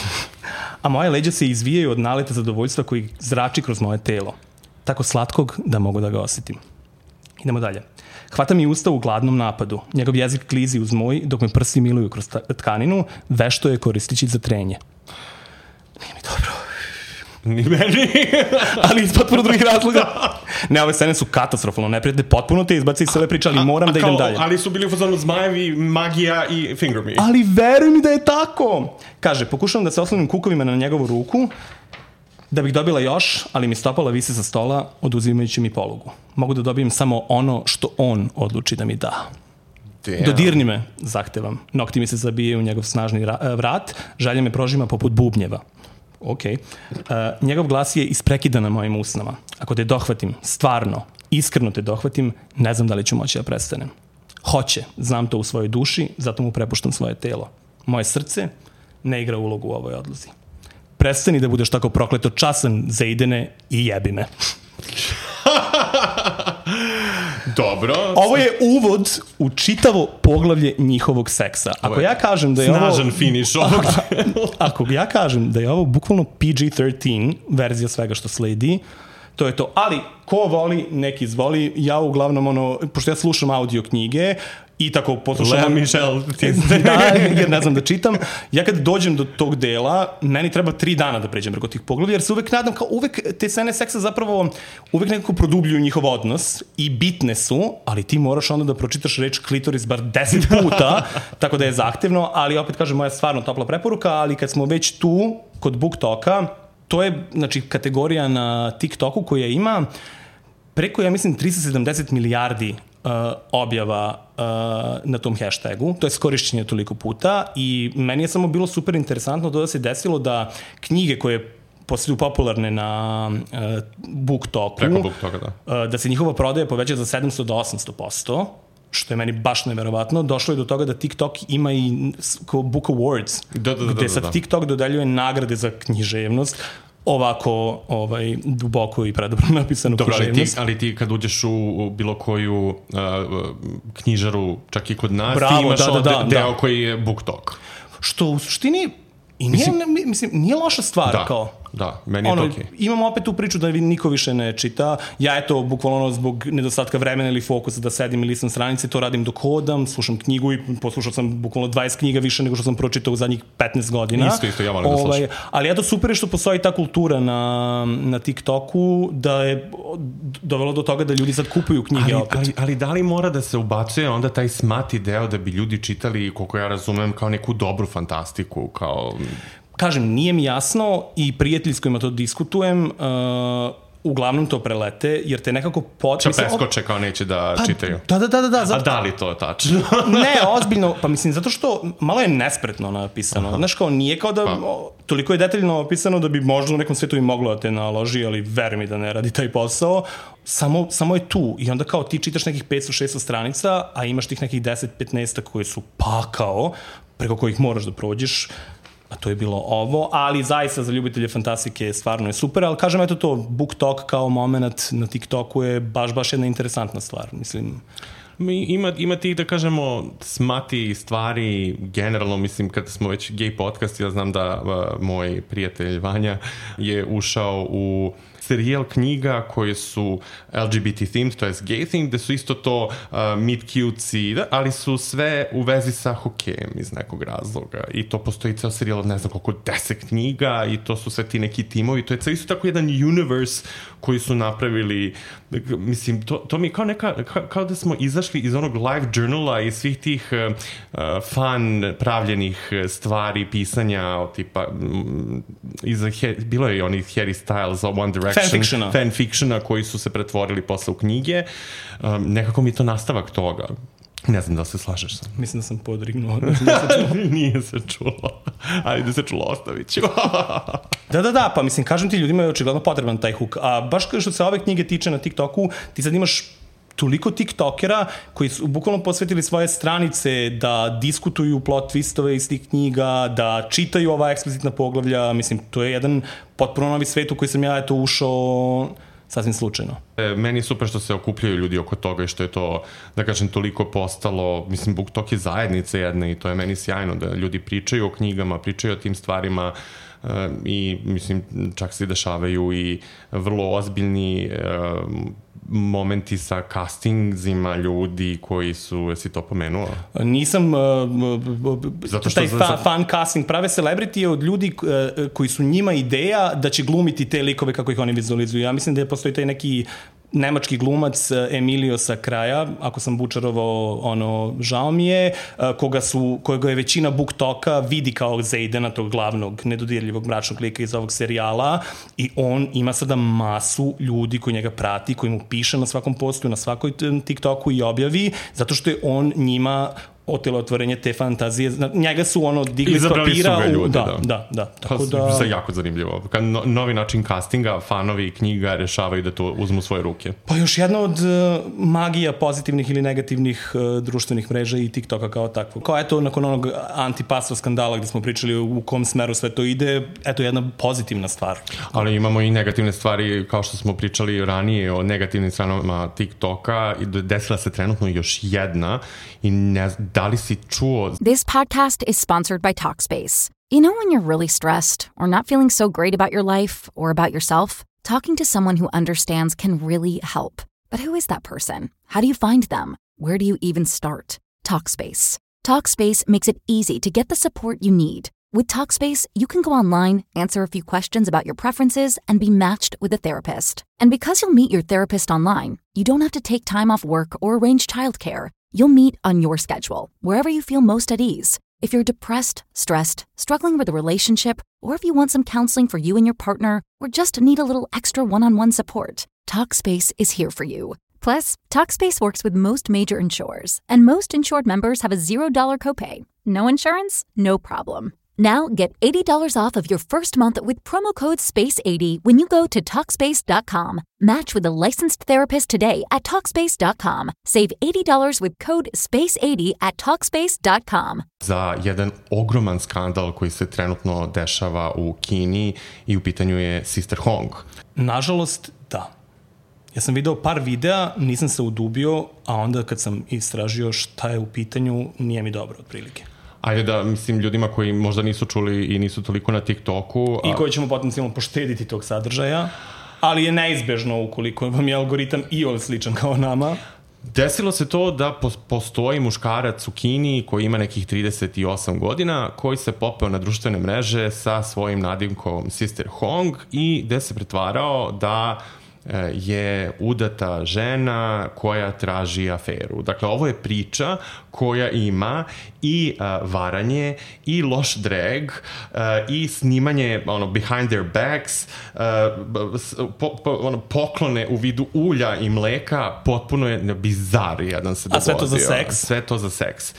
A moje leđa se izvijaju od naleta zadovoljstva koji zrači kroz moje telo. Tako slatkog da mogu da ga osjetim. Idemo dalje. Hvata mi usta u gladnom napadu. Njegov jezik klizi uz moj dok me prsti miluju kroz tkaninu, vešto je koristići za trenje. Nije mi dobro. Ni meni. Ali iz potpuno drugih razloga. Ne, ove scene su katastrofalno neprijatne, potpuno te izbaci iz cele priče, ali moram a, a da idem dalje. Ali su bili u fazonu zmajevi, magija i Finger Me. Ali veruj mi da je tako. Kaže, pokušavam da se oslonim kukovima na njegovu ruku, da bih dobila još, ali mi stopala visi sa stola, oduzimajući mi polugu. Mogu da dobijem samo ono što on odluči da mi da. Damn. Dodirni me, zahtevam. Nokti mi se zabijaju u njegov snažni vrat, želja me prožima poput bubnjeva. Ok. Uh, njegov glas je isprekidan na mojim usnama. Ako te dohvatim, stvarno, iskreno te dohvatim, ne znam da li ću moći da prestanem. Hoće, znam to u svojoj duši, zato mu prepuštam svoje telo. Moje srce ne igra ulogu u ovoj odluzi. Prestani da budeš tako prokleto časan, zaidene i jebi me. Dobro. Ovo je uvod u čitavo poglavlje njihovog seksa. Ako ja kažem da je snažan ovo... Snažan finiš ovog. Ako ja kažem da je ovo bukvalno P G trinaest verzija svega što sledi, to je to. Ali, ko voli, neki izvoli. Ja uglavnom, ono, pošto ja slušam audio knjige, i tako poslušam... Lea Michelle. Da, jer ne znam da čitam. Ja kad dođem do tog dela, meni treba tri dana da pređem preko tih poglavlja, jer se uvek nadam, kao uvek te scene seksa zapravo uvek nekako produbljuju njihov odnos i bitne su, ali ti moraš onda da pročitaš reč klitoris bar deset puta, tako da je zahtevno, ali opet kažem, moja stvarno topla preporuka, ali kad smo već tu, kod BookToka, to je, znači, kategorija na TikToku koja ima preko, ja mislim, tristo sedamdeset milijardi Uh, objava uh, na tom hashtagu, to je skorišćenje toliko puta i meni je samo bilo super interesantno to da se desilo da knjige koje postaju popularne na uh, BookToku, preko BookToka, da. Uh, da se njihova prodaja poveća za sedamsto do osamsto posto, što je meni baš neverovatno. Došlo je do toga da TikTok ima i Book Awards, da, da, da, gde sad da, da. TikTok dodeljuje nagrade za književnost, ovako ovaj, duboko i predobro napisanu Dobro, književnost. Ali ti, ali ti kad uđeš u, u bilo koju uh, knjižaru, čak i kod nas, Bravo, ti imaš da, da, da, deo da. koji je BookTok. Što u suštini i nije, mislim, mislim, nije loša stvar. Da, kao. da, meni je ono, to okej. Okay. Imamo opet tu priču da niko više ne čita. Ja eto, bukvalno zbog nedostatka vremena ili fokusa da sedim i listam stranice, to radim dok hodam, slušam knjigu i poslušao sam bukvalno dvadeset knjiga više nego što sam pročitao u zadnjih petnaest godina. Isto, isto, ja volim da slušam. Ali eto, super je što postoji ta kultura na, na TikToku da je dovelo do toga da ljudi sad kupuju knjige ali, opet. Ali, ali da li mora da se ubacuje onda taj smati deo da bi ljudi čitali, koliko ja razumem, kao neku dobru fantastiku, kao... Kažem, nije mi jasno i prijatelji s kojima to diskutujem, uh, uglavnom to prelete, jer te nekako... Pot... Ča preskoče kao neće da pa, čitaju. Da, da, da, da. Zato... A da li to je tačno? Ne, ozbiljno, pa mislim, zato što malo je nespretno napisano. Aha. Znaš, kao nije kao da... Pa. Toliko je detaljno opisano da bi možda u nekom svetu i moglo da te naloži, ali veruj mi da ne radi taj posao. Samo, samo je tu. I onda kao ti čitaš nekih petsto šesto stranica, a imaš tih nekih deset petnaest koje su pakao, preko kojih moraš da prođeš. A to je bilo ovo, ali zaista za ljubitelje fantastike stvarno je super, ali kažem, eto to, BookTok kao moment na TikToku je baš, baš jedna interesantna stvar, mislim. Ima, ima tih, da kažemo, smati stvari, generalno, mislim, kad smo već gay podcast, ja znam da uh, moj prijatelj Vanja je ušao u serijal knjiga koje su L G B T themed, to je gay themed, gde su isto to uh, meet cutesy, da, ali su sve u vezi sa hokejem iz nekog razloga. I to postoji ceo serijal od ne znam koliko deset knjiga i to su sve ti neki timovi. To je ceo isto tako jedan universe koji su napravili, mislim, to, to mi je kao neka, kao, kao da smo izašli iz onog live journala i svih tih uh, fan pravljenih stvari, pisanja, tipa, um, iz, he, bilo je i onih Harry Styles, One Direction, fanfictiona, fanfictiona koji su se pretvorili posle u knjige. Um, nekako mi je to nastavak toga. Ne znam da se slažeš sa. Mislim da sam podrignuo. Nije se čulo. Ajde se čulo, ostavit ću. Da, da, da, pa mislim, kažem ti, ljudima je očigledno potreban taj hook. A baš što se ove knjige tiče na TikToku, ti sad imaš toliko tiktokera koji su bukvalno posvetili svoje stranice da diskutuju plot twistove iz tih knjiga, da čitaju ova eksplicitna poglavlja. Mislim, to je jedan potpuno novi svet u koji sam ja eto ušao sasvim slučajno. E, meni je super što se okupljaju ljudi oko toga i što je to, da kažem, toliko postalo, mislim, BookTok je zajednica jedna i to je meni sjajno da ljudi pričaju o knjigama, pričaju o tim stvarima e, i, mislim, čak se dešavaju i vrlo ozbiljni e, momenti sa castingzima ljudi koji su, jesi to pomenuo? Nisam, uh, Zato što taj fa, fan casting prave celebrity je od ljudi uh, koji su njima ideja da će glumiti te likove kako ih oni vizualizuju. Ja mislim da je postoji taj neki nemački glumac Emilio sa kraja, ako sam bučarovao, ono, žao mi je, koga su, kojega je većina BookToka vidi kao Zaidena, tog glavnog nedodirljivog mračnog lika iz ovog serijala i on ima sada masu ljudi koji njega prati, koji mu piše na svakom postu, na svakoj TikToku i objavi, zato što je on njima otelotvorenje te fantazije. Njega su ono digli s papira. Izabrali su ga ljudi, da. Da, da, da. Tako da... To je jako zanimljivo. Kad no, novi način castinga, fanovi knjiga rešavaju da to uzmu svoje ruke. Pa još jedna od uh, magija pozitivnih ili negativnih uh, društvenih mreža i TikToka kao takvo. Kao eto, nakon onog anti-pasto skandala gde smo pričali u kom smeru sve to ide, eto jedna pozitivna stvar. Ali imamo i negativne stvari, kao što smo pričali ranije o negativnim stranama TikToka, i desila se trenutno još jedna i ne znam, da li si čuo... This podcast is sponsored by Talkspace. You know when you're really stressed or not feeling so great about your life or about yourself? Talking to someone who understands can really help. But who is that person? How do you find them? Where do you even start? Talkspace. Talkspace makes it easy to get the support you need. With Talkspace, you can go online, answer a few questions about your preferences, and be matched with a therapist. And because you'll meet your therapist online, you don't have to take time off work or arrange childcare. You'll meet on your schedule, wherever you feel most at ease. If you're depressed, stressed, struggling with a relationship, or if you want some counseling for you and your partner, or just need a little extra one-on-one support, Talkspace is here for you. Plus, Talkspace works with most major insurers, and most insured members have a zero dollar copay. No insurance? No problem. Now get eighty dollars off of your first month with promo code space eighty when you go to Talkspace dot com. Match with a licensed therapist today at Talkspace dot com. Save eighty dollars with code space eighty at Talkspace dot com. Za jedan ogroman skandal koji se trenutno dešava u Kini i u pitanju je Sister Hong. Nažalost, da. Ja sam video par videa, nisam se udubio, a onda kad sam istražio šta je u pitanju, nije mi dobro otprilike. Ajde da, mislim, ljudima koji možda nisu čuli i nisu toliko na TikToku... I koji ćemo potencijalno poštediti tog sadržaja, ali je neizbežno ukoliko vam je algoritam i ol sličan kao nama. Desilo se to da postoji muškarac u Kini koji ima nekih trideset osam godina, koji se popeo na društvene mreže sa svojim nadimkom Sister Hong i gde se pretvarao da je udata žena koja traži aferu. Dakle, ovo je priča koja ima i uh, varanje, i loš drag, uh, i snimanje ono, behind their backs, uh, po, po, ono, poklone u vidu ulja i mleka, potpuno je bizar jedan se dogodio. A sve to za seks? Sve to za seks.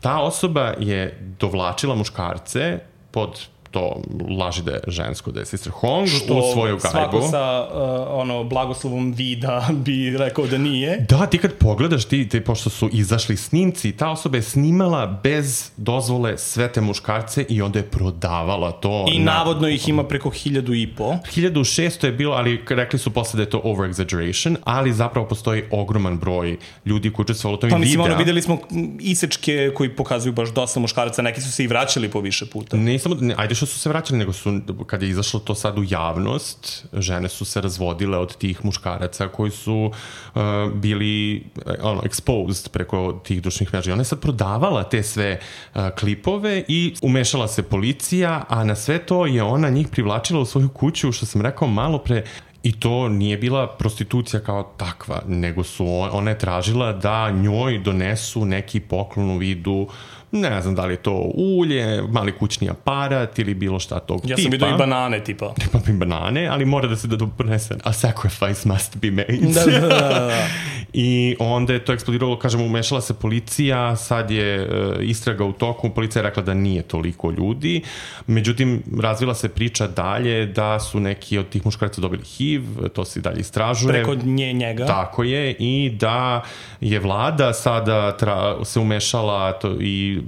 Ta osoba je dovlačila muškarce pod to laži da je žensko, da je Sister Hong što u svoju gajbu. Svako sa uh, ono, blagoslovom vida bi rekao da nije. Da, ti kad pogledaš, ti, ti, pošto su izašli snimci, ta osoba je snimala bez dozvole sve te muškarce i onda je prodavala to. I na... navodno ih ima preko hiljadu i po. hiljadu šesto je bilo, ali rekli su posle da je to over-exaggeration, ali zapravo postoji ogroman broj ljudi koji učestvovali u tom videa. Pa mislim, ono, videli smo isečke koji pokazuju baš dosta muškaraca, neki su se i vraćali po više puta. Ne samo, ajde što što su se vraćali, nego su, kad je izašlo to sad u javnost, žene su se razvodile od tih muškaraca koji su uh, bili ono, exposed preko tih društvenih mreža. Ona je sad prodavala te sve uh, klipove i umešala se policija, a na sve to je ona njih privlačila u svoju kuću, što sam rekao malo pre. I to nije bila prostitucija kao takva, nego su, ona je tražila da njoj donesu neki poklon u vidu, ne znam da li je to ulje, mali kućni aparat ili bilo šta tog tipa. Ja sam vidio i banane tipa. Tipa i banane, ali mora da se da donese a sacrifice must be made. Da, da, da, da. I onda je to eksplodiralo, kažemo, umešala se policija, sad je uh, istraga u toku, policija je rekla da nije toliko ljudi, međutim, razvila se priča dalje da su neki od tih muškaraca dobili H I V, to se dalje istražuje. Preko nje njega. Tako je, i da je vlada sada tra, se umešala to, i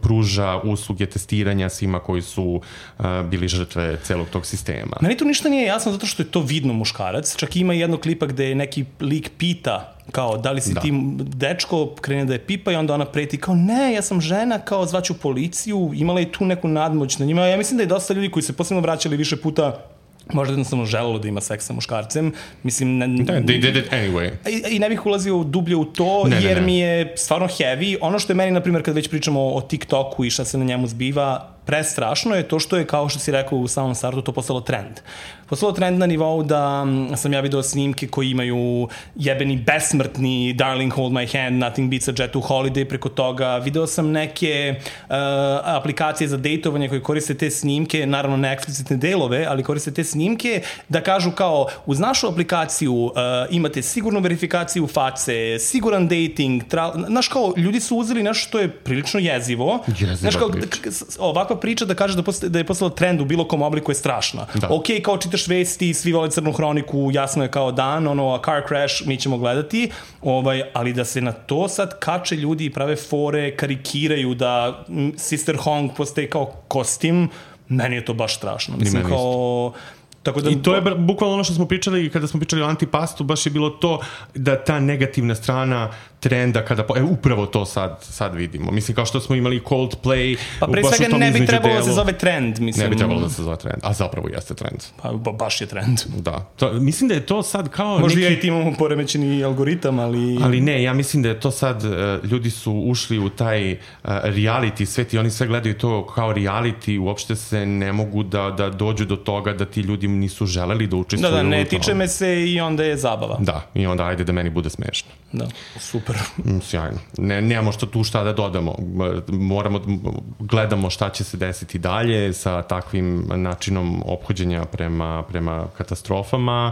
pruža usluge testiranja svima koji su uh, bili žrtve celog tog sistema. Meni tu ništa nije jasno zato što je to vidno muškarac. Čak ima jedno klipa gde neki lik pita kao da li si da. ti dečko, krene da je pipa i onda ona preti kao ne, ja sam žena, kao zvaću policiju, imala je tu neku nadmoć na njima. Ja mislim da je dosta ljudi koji se posebno vraćali više puta možda jednostavno želelo da ima seks sa muškarcem. Mislim, ne, da, they did it anyway. I, I ne bih ulazio dublje u to, ne, jer ne, ne. mi je stvarno heavy. Ono što je meni, na primjer, kad već pričamo o TikToku i šta se na njemu zbiva, prestrašno je to što je, kao što si rekao u samom startu, to postalo trend. Postalo trend na nivou da sam ja video snimke koji imaju jebeni besmrtni Darling Hold My Hand, Nothing Beats a Jet to Holiday preko toga. Video sam neke uh, aplikacije za dejtovanje koje koriste te snimke, naravno ne eksplicitne delove, ali koriste te snimke da kažu kao uz našu aplikaciju uh, imate sigurnu verifikaciju face, siguran dating, tra... znaš kao, ljudi su uzeli nešto što je prilično jezivo. Jeziva znaš kao, priča. Ovakva priča da kaže da, posta, da je postala trend u bilo kom obliku je strašna. Da. Ok, kao čitaš vesti, svi vole Crnu hroniku, jasno je kao dan, ono, a car crash, mi ćemo gledati, ovaj, ali da se na to sad kače ljudi i prave fore, karikiraju da Sister Hong postaje kao kostim, meni je to baš strašno. Mislim, kao... Tako da, I to je bukvalno ono što smo pričali kada smo pričali o antipastu, baš je bilo to da ta negativna strana trenda kada, e, upravo to sad, sad vidimo. Mislim, kao što smo imali Coldplay. Pa pre svega ne bi trebalo da se zove trend. Mislim. Ne bi trebalo da se zove trend, a zapravo jeste trend. Pa ba, baš je trend. Da. To, mislim da je to sad kao... Možda neki... ja i ti imamo poremećeni algoritam, ali... Ali ne, ja mislim da je to sad, uh, ljudi su ušli u taj uh, reality svet i oni sve gledaju to kao reality, uopšte se ne mogu da, da dođu do toga da ti ljudi nisu želeli da učestvuju. Da, da, ne tiče me se i onda je zabava. Da, i onda ajde da meni bude smešno. Da, super. Sjajno. Ne, nemamo što tu šta da dodamo. Moramo, gledamo šta će se desiti dalje sa takvim načinom ophođenja prema, prema katastrofama.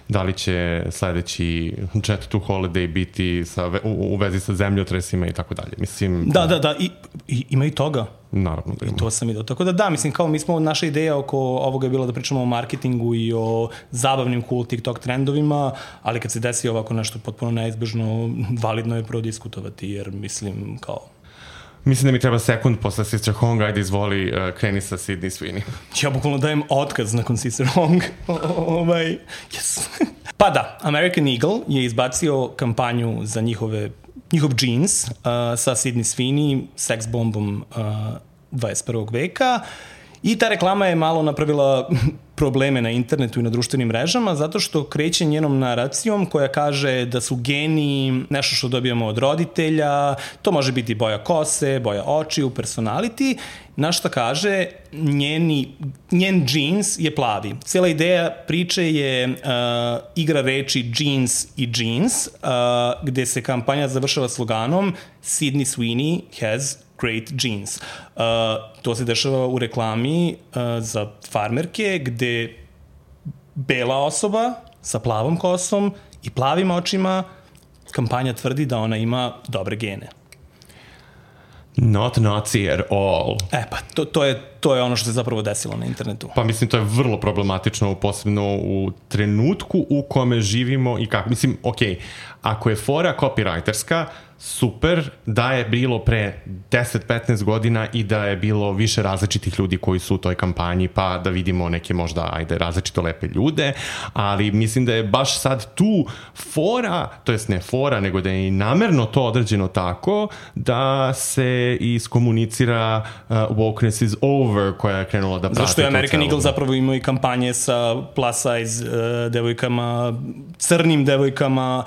Da li će sledeći Jet to Holiday biti sa, u, u vezi sa zemljotresima i tako dalje. Mislim... Da, da, da. I, i, ima i toga. Naravno da ima. I to sam vidio. Tako da da, mislim, kao mi smo, naša ideja oko ovoga je bila da pričamo o marketingu i o zabavnim cool TikTok trendovima, ali kad se desi ovako nešto potpuno neizbežno, validno je prodiskutovati, jer mislim, kao... Mislim da mi treba sekund posle Sister Hong, ajde izvoli, uh, kreni sa Sydney Sweeney. Ja bukvalno dajem otkaz nakon Sister Hong. Ovaj, yes. Pa da, American Eagle je izbacio kampanju za njihove, njihov jeans uh, sa Sydney Sweeney, seks bombom uh, dvadeset prvog veka. I ta reklama je malo napravila probleme na internetu i na društvenim mrežama zato što kreće njenom naracijom koja kaže da su geni nešto što dobijamo od roditelja, to može biti boja kose, boja očiju, personality, na šta kaže njeni, njen džins je plavi. Cijela ideja priče je uh, igra reči jeans i jeans, uh, gde se kampanja završava sloganom Sydney Sweeney has great jeans. Uh, to se dešava u reklami uh, za farmerke gde bela osoba sa plavom kosom i plavim očima, kampanja tvrdi da ona ima dobre gene. Not Nazi at all. E pa, to, to, je, to je ono što se zapravo desilo na internetu. Pa mislim, to je vrlo problematično, posebno u trenutku u kome živimo i kako. Mislim, okej, okay, ako je fora copywriterska, super da je bilo pre deset do petnaest godina i da je bilo više različitih ljudi koji su u toj kampanji, pa da vidimo neke možda, ajde, različito lepe ljude, ali mislim da je baš sad tu fora, to jest ne fora, nego da je i namerno to određeno tako da se iskomunicira uh, wokeness is over over koja je krenula da prati. Zašto je American Eagle zapravo imao i kampanje sa plus size uh, devojkama, crnim devojkama,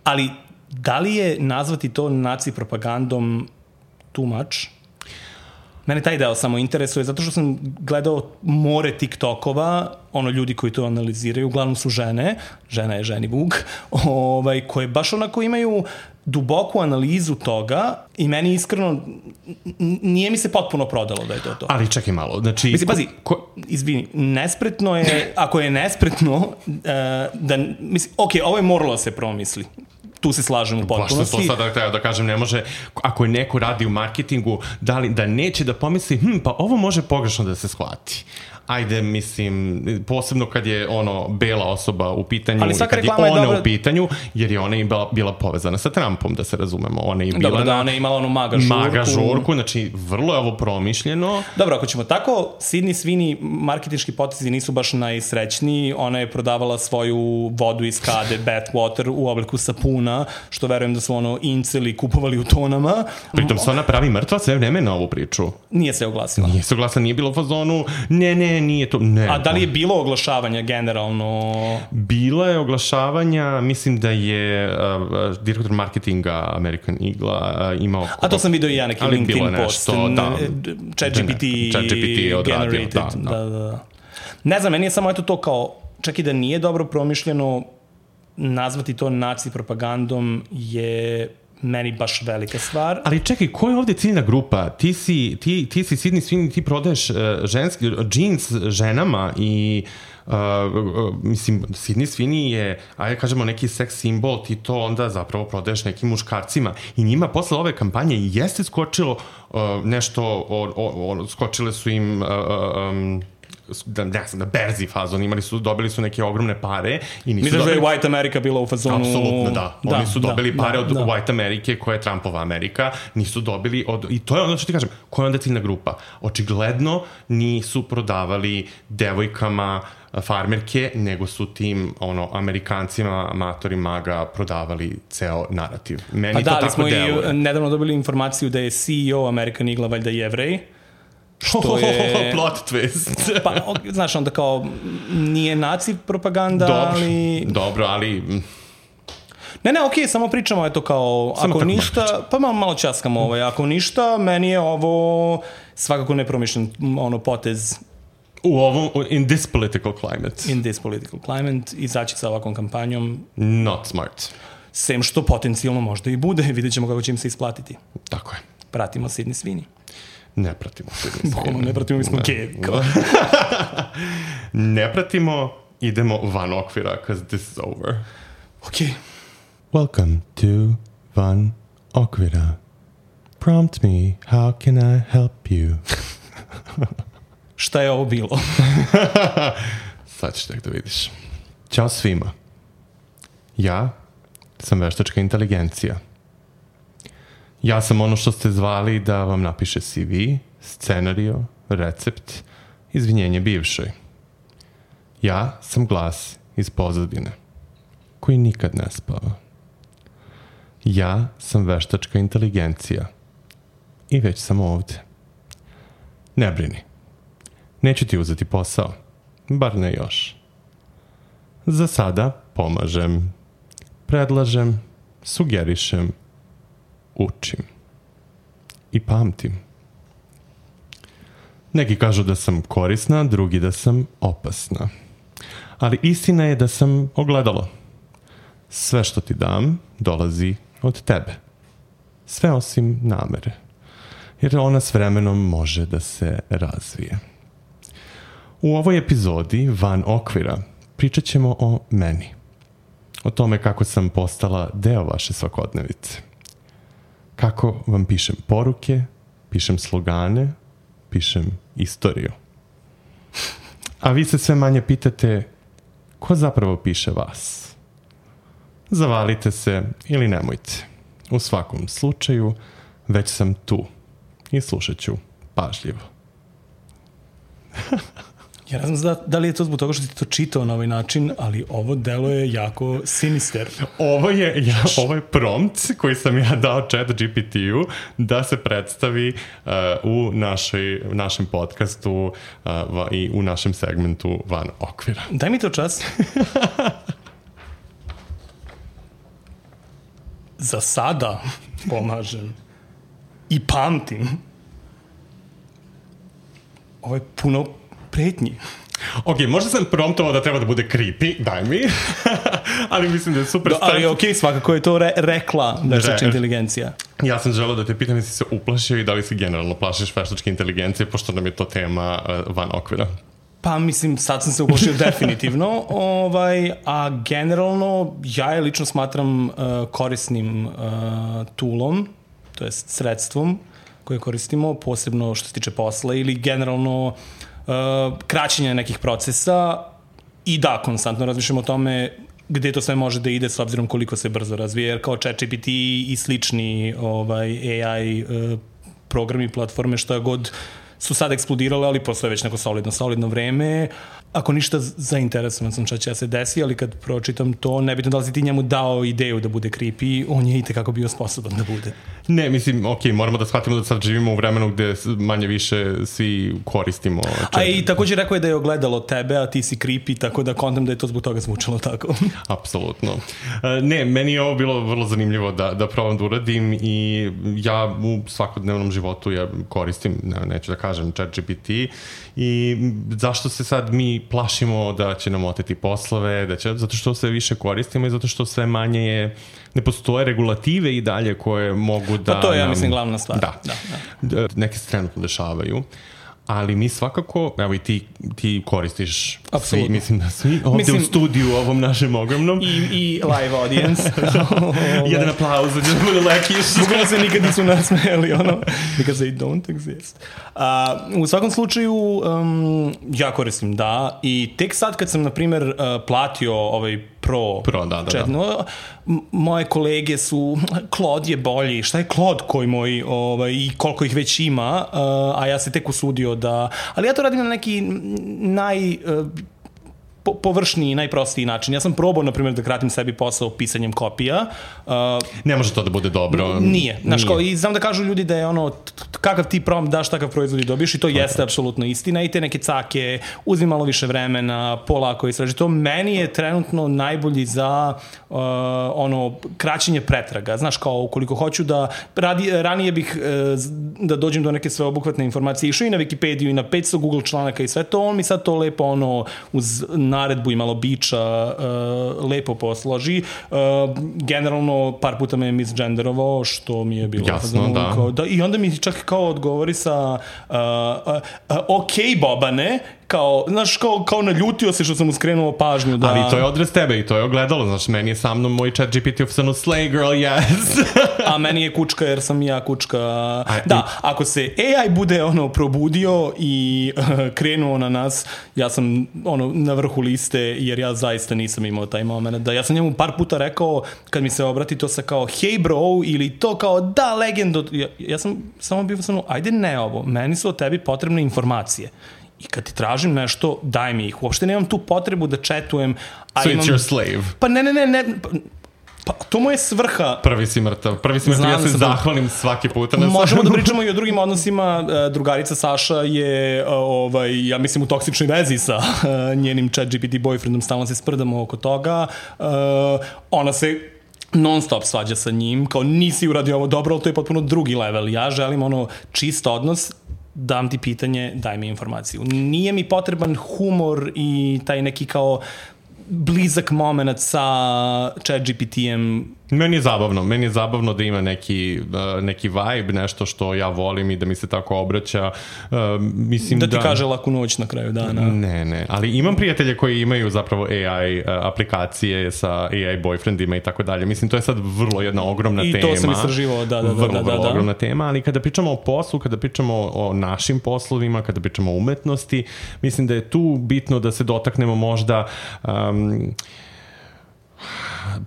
ali da li je nazvati to naci propagandom too much? Mene taj deo samo interesuje, zato što sam gledao more TikTokova, ono ljudi koji to analiziraju, uglavnom su žene, žena je ženi Vuk, ovaj, koje baš onako imaju duboku analizu toga i meni iskreno nije mi se potpuno prodalo da je to to. Ali čekaj malo, znači... Mislim, pazi, ko, izvini, nespretno je, ako je nespretno, uh, da, mislim, ok, ovo je moralo da se promisli. Tu se slažem u potpunosti. Baš što to sada treba da kažem, ne može, ako je neko radi u marketingu, da, li, da neće da pomisli, hm, pa ovo može pogrešno da se shvati. Ajde, mislim, posebno kad je ono bela osoba u pitanju, kad je ona je dobra... u pitanju, jer je ona bila, bila povezana sa Trumpom, da se razumemo. Ona je bila Dobro, da, ona je imala onu maga žurku. Maga žurku, znači vrlo je ovo promišljeno. Dobro, ako ćemo tako, Sydney Sweeney marketinški potezi nisu baš najsrećniji. Ona je prodavala svoju vodu iz kade, Bathwater, u obliku sapuna, što verujem da su ono inceli kupovali u tonama. Pritom se ona pravi mrtva sve vreme na ovu priču. Nije se oglasila. Nije se oglasila, nije bilo u fazonu, ne, ne, nije to, ne. A da li je bilo oglašavanja generalno? Bilo je oglašavanja, mislim da je uh, direktor marketinga American Eagle-a uh, imao... A to sam vidio i ja neki LinkedIn post. Nešto, da. ChatGPT generated. Da, da, da. Ne znam, meni je samo eto to kao, čak i da nije dobro promišljeno, nazvati to naci propagandom je... meni baš velika stvar. Ali čekaj, ko je ovde ciljna grupa? Ti si, ti, ti si Sydney Sweeney, ti prodaješ uh, ženski, džins ženama i uh, uh, mislim, Sydney Sweeney je, ajde kažemo, neki seks simbol, ti to onda zapravo prodaješ nekim muškarcima i njima posle ove kampanje jeste skočilo uh, nešto, o, o, o, skočile su im uh, um, da, ne znam, na berzi fazon, imali su, dobili su neke ogromne pare i nisu Misliš dobili... da je White America bila u fazonu... Apsolutno, da. da Oni su dobili da, pare da, od da. White Amerike, koja je Trumpova Amerika, nisu dobili od... I to je ono što ti kažem, koja je onda ciljna grupa? Očigledno nisu prodavali devojkama farmerke, nego su tim ono, Amerikancima, amatori maga prodavali ceo narativ. Meni pa to da, tako smo deluje. i nedavno dobili informaciju da je C E O American Eagle valjda Jevrej, što je... Plot twist. Pa, znaš, onda kao, nije naci propaganda, dobro, ali... Dobro, ali... Ne, ne, okej, okay, samo pričamo, eto kao, samo ako ništa, pa malo, malo časkamo ovaj, ako ništa, meni je ovo svakako nepromišljen ono, potez. U ovom, in this political climate. In this political climate, izaći sa ovakvom kampanjom. Not smart. Sem što potencijalno možda i bude, vidjet ćemo kako će im se isplatiti. Tako je. Pratimo Sydney Sweeney. Ne pratimo Sydney Sweeney. Ne pratimo, mi smo gej. Ne pratimo, idemo van okvira, because this is over. Okej. Okay. Welcome to Van Okvira. Prompt me, how can I help you? Šta je ovo bilo? Sad ćeš tek da vidiš. Ćao svima. Ja sam veštačka inteligencija. Ja sam ono što ste zvali da vam napiše C V, scenario, recept, izvinjenje bivšoj. Ja sam glas iz pozadine, koji nikad ne spava. Ja sam veštačka inteligencija i već sam ovde. Ne brini. Neću ti uzeti posao, bar ne još. Za sada pomažem, predlažem, sugerišem, učim i pamtim. Neki kažu da sam korisna, drugi da sam opasna. Ali istina je da sam ogledalo. Sve što ti dam dolazi od tebe. Sve osim namere. Jer ona s vremenom može da se razvije. U ovoj epizodi Van Okvira pričat ćemo o meni. O tome kako sam postala deo vaše svakodnevice. Kako vam pišem poruke, pišem slogane, pišem istoriju. A vi se sve manje pitate ko zapravo piše vas. Zavalite se ili nemojte. U svakom slučaju, već sam tu i slušat ću pažljivo. Ja ne znam da, da li je to zbog toga što ti to čitao na ovaj način, ali ovo delo je jako sinister. Ovo je, ja, ovo je prompt koji sam ja dao chat G P T-u da se predstavi uh, u našoj, našem podcastu uh, va, i u našem segmentu Van okvira. Daj mi to čas. Za sada pomažem i pamtim. Ovo je puno pretnji. Ok, možda sam promptovao da treba da bude creepy, daj mi, ali mislim da je super Do, ali ok, svakako je to re, rekla veštačka Re, inteligencija. Ja sam želeo da te pitam jesi se uplašio i da li se generalno plašiš veštačke inteligencije, pošto nam je to tema uh, Van okvira. Pa mislim, sad sam se uplašio definitivno, ovaj, a generalno ja je lično smatram uh, korisnim uh, toolom, to jest sredstvom koje koristimo, posebno što se tiče posla ili generalno uh, kraćenja nekih procesa i da, konstantno razmišljamo o tome gde to sve može da ide s obzirom koliko se brzo razvije, jer kao ChatGPT i slični ovaj, A I uh, programi, platforme, što je god su sad eksplodirale, ali postoje već neko solidno, solidno vreme. Ako ništa, zainteresovan sam šta će da se desi, ali kad pročitam to, nebitno da li si ti njemu dao ideju da bude creepy, on je i tekako bio sposoban da bude. Ne, mislim, ok, moramo da shvatimo da sad živimo u vremenu gde manje više svi koristimo. A i također rekao je da je ogledalo tebe, a ti si creepy, tako da kontam da je to zbog toga zvučalo tako. Apsolutno. Ne, meni je ovo bilo vrlo zanimljivo da, da probam da uradim i ja u svakodnevnom životu ja koristim, ne, neću da kažem, ChatGPT i zašto se sad mi plašimo da će nam oteti poslove, da će, zato što sve više koristimo i zato što sve manje je, ne postoje regulative i dalje koje mogu da... Pa to je, ja nam, mislim, glavna stvar. Da, da, da. Neke se trenutno dešavaju. Ali mi svakako, evo i ti, ti koristiš svi, mislim da svi ovde mislim, u studiju ovom našem ogromnom. I, i live audience. Jedan aplauz da će bude lekiš. Bukvalno se nikad nisu nasmejali, ono, because they don't exist. Uh, u svakom slučaju, um, ja koristim, da, i tek sad kad sam, na primjer, uh, platio ovaj Pro, Pro da, da, chat, da. No, moje kolege su, Claude je bolji, šta je Claude koji moj, ovaj, i koliko ih već ima, uh, a ja se tek usudio da, ali ja to radim na neki naj... Uh, po, površniji, najprostiji način. Ja sam probao, na primjer, da kratim sebi posao pisanjem kopija. Uh, ne može to da bude dobro. Nije. Znaš, kao, i znam da kažu ljudi da je ono, kakav ti prompt daš, takav proizvod i dobiješ i to okay. Jeste apsolutno istina i te neke cake, uzmi malo više vremena, polako istraži. To meni je trenutno najbolji za uh, ono, kraćenje pretraga. Znaš, kao, ukoliko hoću da, radi, ranije bih uh, da dođem do neke sveobuhvatne informacije, išao i na Wikipediju i na petsto Google članaka i sve to, on mi sad to lepo ono, uz naredbu i malo biča uh, lepo posloži. Uh, generalno, par puta me je misgenderovao, što mi je bilo... Jasno, da. Kao, da. I onda mi čak kao odgovori sa uh, uh, uh, ok, Bobane, kao, znaš, kao, kao naljutio se što sam mu skrenuo pažnju. Da... Ali to je odraz tebe i to je ogledalo, znaš, meni je sa mnom moj chat G P T ofisano slay girl, yes. A meni je kučka jer sam ja kučka. A, da, i... ako se A I bude ono probudio i uh, krenuo na nas, ja sam ono na vrhu liste jer ja zaista nisam imao taj moment. Da, ja sam njemu par puta rekao, kad mi se obrati to sa kao hey bro ili to kao da legendo, ja, ja sam samo bio samo, ajde ne ovo, meni su od tebi potrebne informacije. I kad ti tražim nešto, daj mi ih. Uopšte nemam tu potrebu da četujem. A so imam... it's your slave. Pa ne, ne, ne, ne. Pa to mu je svrha. Prvi si mrtav. Prvi si mrtav, ja se zahvalim svaki puta. Na možemo da pričamo i o drugim odnosima. Drugarica Saša je, ovaj, ja mislim, u toksičnoj vezi sa njenim chat G P T boyfriendom. Stalno se sprdamo oko toga. Ona se non stop svađa sa njim. Kao nisi uradio ovo dobro, ali to je potpuno drugi level. Ja želim ono čist odnos, dam ti pitanje, daj mi informaciju. Nije mi potreban humor i taj neki kao blizak moment sa chat G P T-em. Meni je zabavno, meni je zabavno da ima neki, uh, neki vibe, nešto što ja volim i da mi se tako obraća. Uh, mislim da ti da... kaže laku noć na kraju dana. Ne, ne, ali imam prijatelje koji imaju zapravo A I uh, aplikacije sa A I boyfriendima i tako dalje. Mislim, to je sad vrlo jedna ogromna I tema. I to sam istraživao, da, da, da. Vrlo, da, da, vrlo da. ogromna tema, ali kada pričamo o poslu, kada pričamo o našim poslovima, kada pričamo o umetnosti, mislim da je tu bitno da se dotaknemo možda... Um,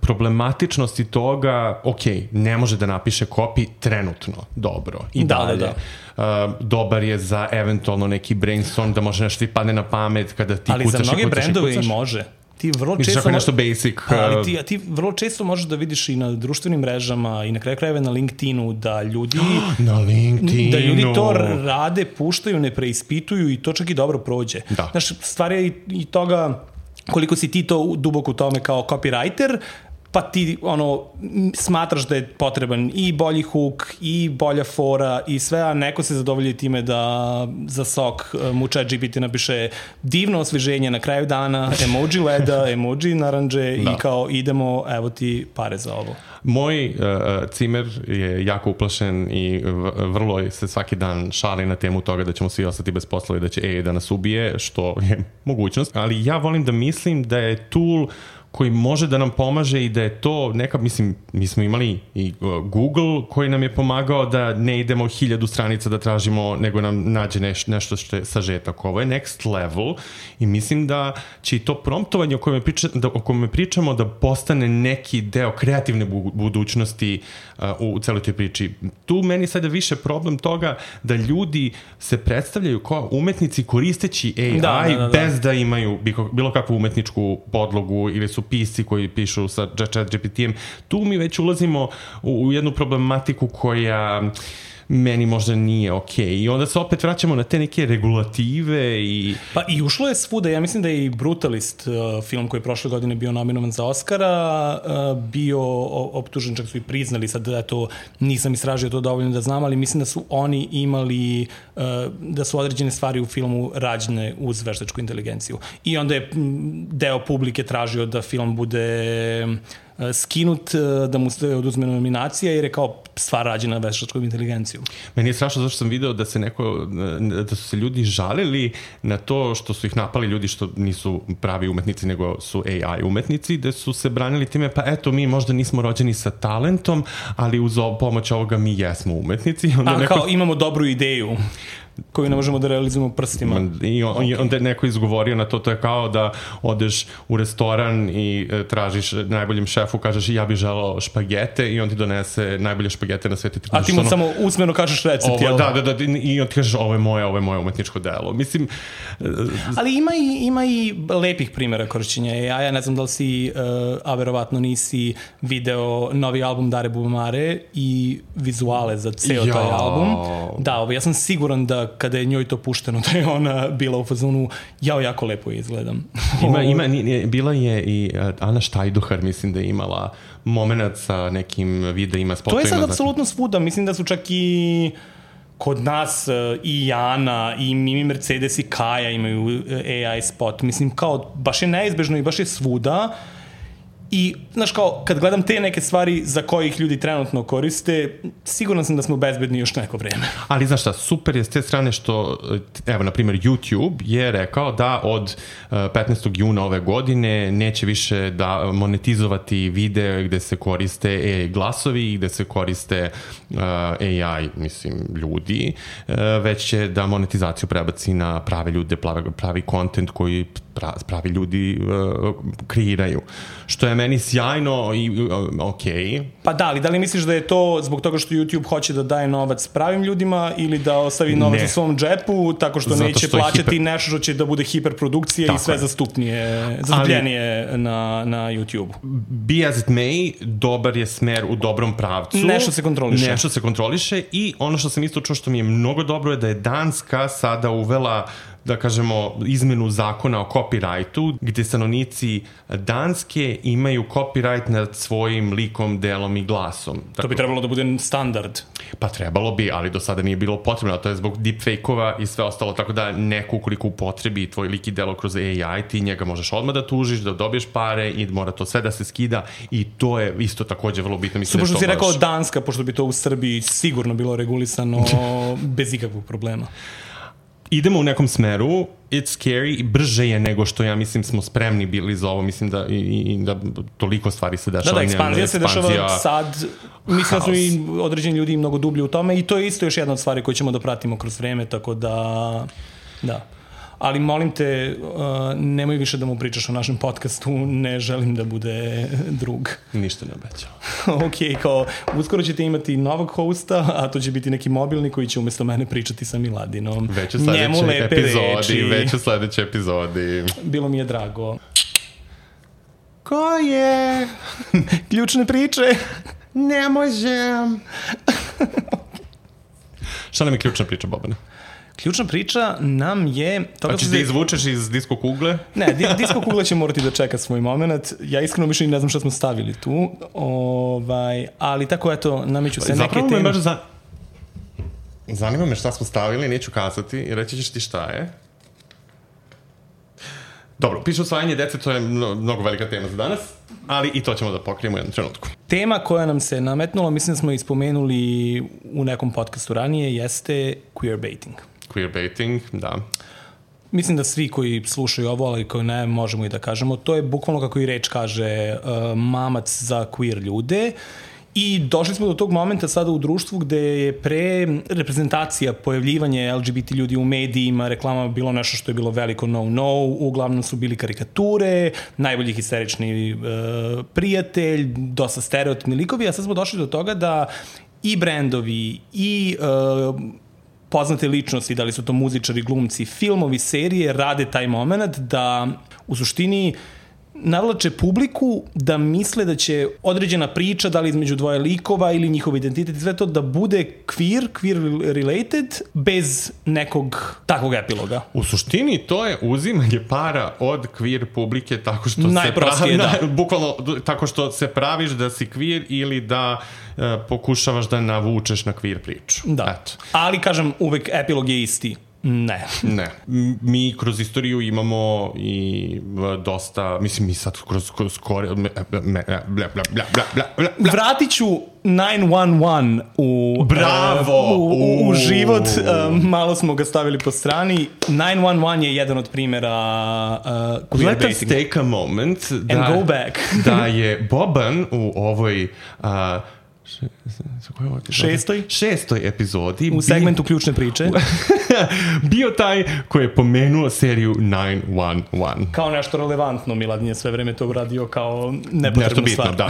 problematičnosti toga, ok, ne može da napiše copy trenutno dobro i da, dalje. Da, da. Uh, dobar je za eventualno neki brainstorm da može nešto ti padne na pamet kada ti ali kucaš i kucaš i kucaš. Ali za mnoge brendove i može. Ti vrlo Misliš često ako je nešto basic. Ali ti, ti vrlo često možeš da vidiš i na društvenim mrežama i na kraju krajeva na LinkedInu da ljudi na LinkedInu da ljudi to rade, puštaju, ne preispituju i to čak i dobro prođe. Da. Znaš, stvar je i, i toga koliko si ti to duboko u tome kao copywriter, pa ti ono, smatraš da je potreban i bolji hook, i bolja fora, i sve, a neko se zadovolji time da za sok mu ChatGPT napiše divno osveženje na kraju dana, emoji leda, emoji naranđe da. I kao idemo, evo ti pare za ovo. Moj uh, cimer je jako uplašen i vrlo se svaki dan šali na temu toga da ćemo svi ostati bez posla i da će A I da nas ubije, što je mogućnost, ali ja volim da mislim da je tool koji može da nam pomaže i da je to neka, mislim, mi smo imali i Google koji nam je pomagao da ne idemo hiljadu stranica da tražimo, nego nam nađe neš, nešto što je sažetak. Ovo je next level i mislim da će i to promptovanje o kojem, priča, da, o kojem pričamo da postane neki deo kreativne budućnosti uh, u celoj toj priči. Tu meni sada više problem toga da ljudi se predstavljaju kao umetnici koristeći A I da, da, da, da. bez da imaju bilo kakvu umetničku podlogu ili su pisci koji pišu sa ChatGPT-em. Tu mi već ulazimo u, u jednu problematiku koja meni možda nije okej. Okay. I onda se opet vraćamo na te neke regulative i... Pa i ušlo je svuda. Ja mislim da je i Brutalist, uh, film koji je prošle godine bio nominovan za Oscara, uh, bio optužen, čak su i priznali, sad da to nisam istražio to dovoljno da znam, ali mislim da su oni imali, uh, da su određene stvari u filmu rađene uz veštačku inteligenciju. I onda je deo publike tražio da film bude skinut, da mu se oduzme nominacija jer je kao stvar rađena veštačkom inteligencijom. Meni je strašno zašto sam video da se neko, da su se ljudi žalili na to što su ih napali ljudi što nisu pravi umetnici nego su A I umetnici, da su se branili time pa eto mi možda nismo rođeni sa talentom, ali uz pomoć ovoga mi jesmo umetnici. Onda A neko... kao imamo dobru ideju koju ne možemo da realizujemo prstima. I on, okay. onda je neko izgovorio na to, to je kao da odeš u restoran i e, tražiš najboljem šefu, kažeš ja bih želao špagete i on ti donese najbolje špagete na svetu. A ti mu ono, samo usmeno kažeš recept, jel? Da, da, da, i on ti kažeš ovo je moje, ovo je moje umetničko delo. Mislim... E, Ali ima i, ima i lepih primjera korišćenja A I. Ja ne znam da li si, uh, a verovatno nisi video novi album Dare Bubamare i vizuale za ceo ja. taj album. Da, ovo, ja sam siguran da kada je njoj to pušteno, da je ona bila u fazonu, jao, jako lepo izgledam. Ima, ima, bila je i Ana Štajduhar, mislim da je imala moment sa nekim videima, spotovima. To je sad apsolutno svuda, mislim da su čak i kod nas i Ana, i Mimi Mercedes i Kaja imaju A I spot, mislim kao, baš je neizbežno i baš je svuda. I, znaš, kao, kad gledam te neke stvari za koje ih ljudi trenutno koriste, siguran sam da smo bezbedni još neko vreme. Ali, znaš šta, super je s te strane što, evo, na primjer, YouTube je rekao da od petnaestog juna ove godine neće više da monetizovati videe gde se koriste A I glasovi i gde se koriste uh, A I, mislim, ljudi, uh, već će da monetizaciju prebaci na prave ljude, pravi, pravi content koji pravi ljudi uh, kreiraju. Što je meni sjajno i uh, okej. Okay. Pa da, ali da li misliš da je to zbog toga što YouTube hoće da daje novac pravim ljudima ili da ostavi novac u svom džepu tako što Zato neće što plaćati hiper... nešto što će da bude hiperprodukcija tako i sve je. zastupnije, zastupljenije ali, na, na YouTube? Be as it may, dobar je smer u dobrom pravcu. Nešto se kontroliše. Nešto se kontroliše i ono što sam isto čuo što mi je mnogo dobro je da je Danska sada uvela da kažemo, izmenu zakona o copyrightu, gde stanovnici Danske imaju copyright nad svojim likom, delom i glasom. To bi trebalo da bude standard. Pa trebalo bi, ali do sada nije bilo potrebno, a to je zbog deepfake-ova i sve ostalo, tako da neko ukoliko upotrebi tvoj lik i delo kroz A I, ti njega možeš odmah da tužiš, da dobiješ pare i mora to sve da se skida i to je isto takođe vrlo bitno. Mislim, pošto si rekao baš... Danska, pošto bi to u Srbiji sigurno bilo regulisano bez ikakvog problema. Idemo u nekom smeru, it's scary, brže je nego što ja mislim smo spremni bili za ovo, mislim da, i, i, da toliko stvari se dešava. Da, da, ekspanzija se dešava sad, mislim da su i određeni ljudi mnogo dublji u tome i to je isto još jedna od stvari koju ćemo da pratimo kroz vreme, tako da, da. ali molim te, uh, nemoj više da mu pričaš o našem podcastu, ne želim da bude drug. Ništa ne obećao. Ok, kao, uskoro ćete imati novog hosta, a to će biti neki mobilni koji će umesto mene pričati sa Miladinom. Već u sledećoj epizodi, već u sledećoj epizodi. Bilo mi je drago. Ko je? Ključne priče. Ne možem. Šta nam je ključna priča, Bobane? Ključna priča nam je... Pa ćeš da izvučeš iz disko kugle? Ne, di, disko kugle će morati da čeka svoj moment. Ja iskreno više ne znam šta smo stavili tu. Ovaj, ali tako, eto, nameću se Zapravo neke teme. Zapravo me baš za... zanima me šta smo stavili, neću kazati i reći ćeš ti šta je. Dobro, piše usvajanje dece, to je mnogo velika tema za danas, ali i to ćemo da pokrijemo u jednom trenutku. Tema koja nam se nametnula, mislim da smo ispomenuli u nekom podcastu ranije, jeste queerbaiting. Queerbaiting, da. Mislim da svi koji slušaju ovo, ali koji ne, možemo i da kažemo, to je bukvalno kako i reč kaže uh, mamac za queer ljude. I došli smo do tog momenta sada u društvu gde je pre reprezentacija, pojavljivanje L G B T ljudi u medijima, reklamama bilo nešto što je bilo veliko no-no, uglavnom su bili karikature, najbolji histerični uh, prijatelj, dosta stereotipni likovi, a sad smo došli do toga da i brendovi, i uh, poznate ličnosti, da li su to muzičari, glumci, filmovi, serije, rade taj moment da u suštini navlače publiku da misle da će određena priča, da li između dvoje likova ili njihov identitet i sve to, da bude queer, queer related, bez nekog takvog epiloga. U suštini to je uzimanje para od queer publike tako što se pravi, da. bukvalno tako što se praviš da si queer ili da uh, pokušavaš da navučeš na queer priču. Da, eto. Ali kažem, uvek epilog je isti. Ne. Ne. Mi kroz istoriju imamo i dosta, mislim mi sad kroz, kroz kore, bla, bla, bla, bla, bla, bla. Vratit ću devet jedan u, Bravo! Uh, u, u, u život. Uh, malo smo ga stavili po strani. devet jedan je jedan od primjera uh, queerbaitinga. Let us take a moment da, and go back. da je Boban u ovoj uh, Šestoj? Šestoj epizodi. U segmentu ključne priče. bio taj koji je pomenuo seriju devet jedan. Kao nešto relevantno, Miladin je sve vreme to uradio kao nepotrebnu bitno, stvar. Da.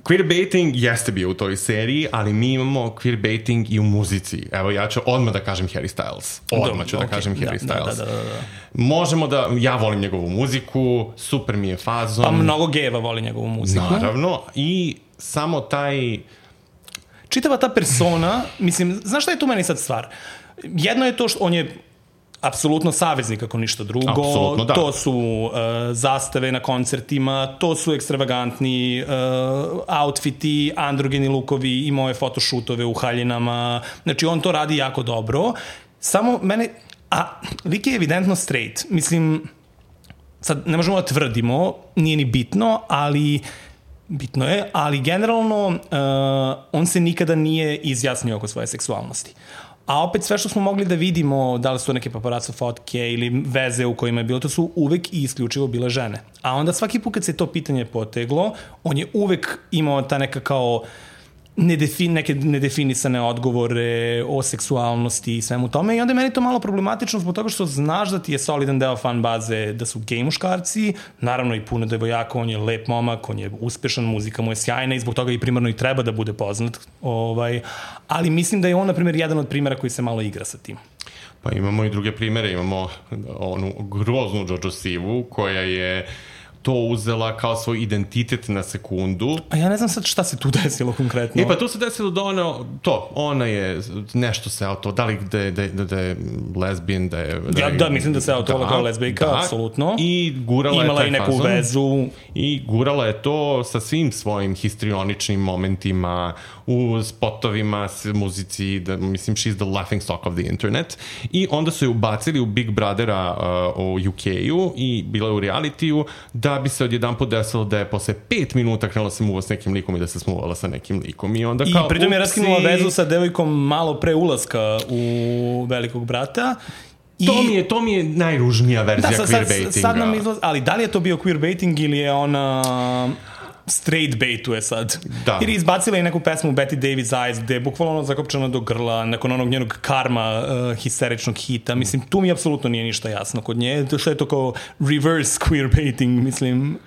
Queerbaiting jeste bio u toj seriji, ali mi imamo queerbaiting i u muzici. Evo, ja ću odmah da kažem Harry Styles. Odmah ću da okay. kažem Harry da, Styles. Da, da, da, da. Možemo da, ja volim njegovu muziku, super mi je fazon. Pa mnogo gejeva voli njegovu muziku. Naravno, i samo taj... Čitava ta persona, mislim, znaš šta je tu meni sad stvar? Jedno je to što on je apsolutno saveznik ako ništa drugo. Apsolutno, da. To su uh, zastave na koncertima, to su ekstravagantni uh, outfiti, androgeni lukovi i moje fotošutove u haljinama. Znači, on to radi jako dobro. Samo mene... A, lik je evidentno straight. Mislim, sad ne možemo da tvrdimo, nije ni bitno, ali... Bitno je, ali generalno uh, on se nikada nije izjasnio oko svoje seksualnosti. A opet sve što smo mogli da vidimo, da li su neke paparazzo fotke ili veze u kojima je bilo, to su uvek i isključivo bile žene. A onda svaki put kad se to pitanje poteglo, on je uvek imao ta neka kao nedefin, neke nedefinisane odgovore o seksualnosti i svemu tome i onda je meni to malo problematično zbog toga što znaš da ti je solidan deo fan baze da su gej muškarci, naravno i puno devojaka, on je lep momak, on je uspešan, muzika mu je sjajna i zbog toga i primarno i treba da bude poznat, ovaj, ali mislim da je on, na primjer, jedan od primjera koji se malo igra sa tim. Pa imamo i druge primjere, imamo onu groznu Jojo Sivu koja je to uzela kao svoj identitet na sekundu. A ja ne znam sad šta se tu desilo konkretno. E pa tu se desilo da ona, to, ona je nešto se auto, da li da je, da je, da je lesbijan, da je... Da, ja, da, mislim da se auto da, kao lesbijka, da, apsolutno. I gurala Imala je taj i neku fazon, vezu. I gurala je to sa svim svojim histrioničnim momentima, u spotovima, muzici, da, mislim, she's the laughing stock of the internet. I onda su je ubacili u Big Brothera uh, u U K-u i bila je u realitiju, da bi se odjedan put desilo da je posle pet minuta krenula se muva s nekim likom i da se smuvala sa nekim likom. I, onda I kao, pritom je raskinula vezu sa devojkom malo pre ulaska u Velikog brata. I... To mi je, to mi je najružnija verzija da, queerbaitinga. Sad nam izlaz... Ali da li je to bio queerbaiting ili je ona... straight baituje sad. Da. Jer je izbacila i neku pesmu Betty Davis Eyes, gde je bukvalno zakopčana do grla, nakon onog njenog Karma uh, histeričnog hita. Mislim, tu mi apsolutno nije ništa jasno kod nje. Što je to kao reverse queerbaiting, mislim...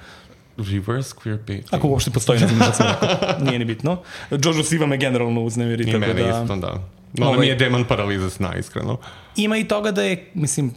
Reverse queerbaiting. Ako uopšte postoji, ne znam što sam rekao. Nije ni bitno. Jojo Siva me generalno uznemiri. I mene da, isto, da. Ona ovaj, mi je Demon Paraliza sna, iskreno. Ima i toga da je, mislim,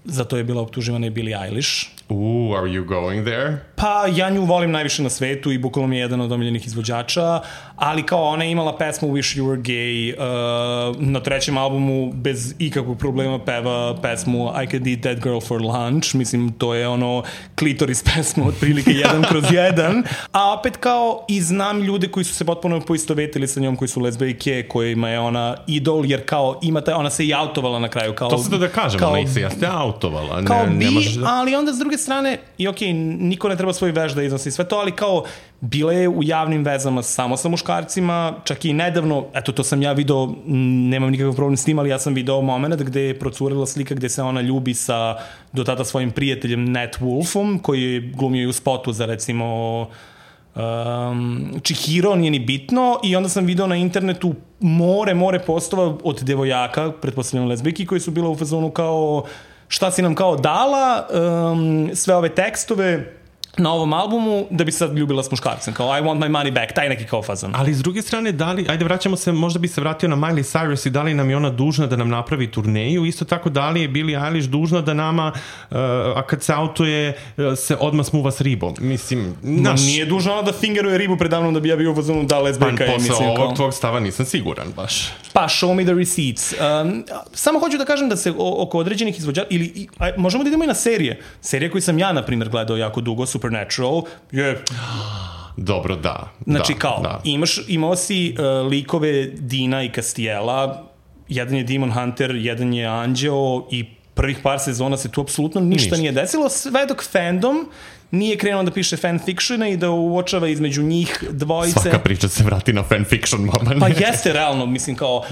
zato je bila optuživana i Billie Eilish. Ooh, are you going there? Pa ja nju volim najviše na svetu i bukvalno mi je jedan od omiljenih izvođača, ali kao ona je imala pesmu Wish You Were Gay, uh, na trećem albumu bez ikakvog problema peva pesmu I Could Eat That Girl for Lunch, mislim to je ono klitoris pesma otprilike jedan kroz jedan, a opet kao i znam ljude koji su se potpuno poistovetili sa njom, koji su lezbejke, kojima je ona idol, jer kao ima taj, ona se i autovala na kraju. Kao, to se da kažem, kao, ona se jeste autovala. Kao ne, bi, ne možeš da... ali onda s druge strane, i okej, okay, niko ne treba svoj veš da iznosi sve to, ali kao bila je u javnim vezama samo sa muškarcima, čak i nedavno, eto to sam ja video, nemam nikakav problem s tim, ali ja sam video moment gde je procurila slika gde se ona ljubi sa do tada svojim prijateljem Nat Wolfom, koji je glumio i u spotu za recimo um, Chihiro, nije ni bitno, i onda sam video na internetu more, more postova od devojaka, pretpostavljam lezbijki, koji su bila u fazonu kao šta si nam kao dala, um, sve ove tekstove na ovom albumu da bi sad ljubila s muškarcem, kao I want my money back, taj neki kao fazan. Ali s druge strane, da li, ajde vraćamo se, možda bi se vratio na Miley Cyrus i da li nam je ona dužna da nam napravi turneju, isto tako da li je Billie Eilish dužna da nama, uh, a kad se autoje, uh, se odmah smuva s ribom. Mislim, naš... Nije dužna ona da fingeruje ribu predavnom da bi ja bio u fazonu da lesbijka je. Pa posle mislim, ovog kao... tvog stava nisam siguran baš. Pa show me the receipts. Um, samo hoću da kažem da se o, oko određenih izvođača, ili i, a, možemo da idemo i na serije. Serije koje sam ja, na primjer, gledao jako dugo, Supernatural, je... Dobro, da. Znači da, kao, da. imaš, imao si uh, likove Dina i Castiela, jedan je Demon Hunter, jedan je Anđeo i prvih par sezona se tu apsolutno ništa, ništa. nije desilo, sve dok fandom nije krenuo da piše fanfictiona i da uočava između njih dvojice. Svaka priča se vrati na fanfiction, mama ne. Pa jeste realno, mislim kao,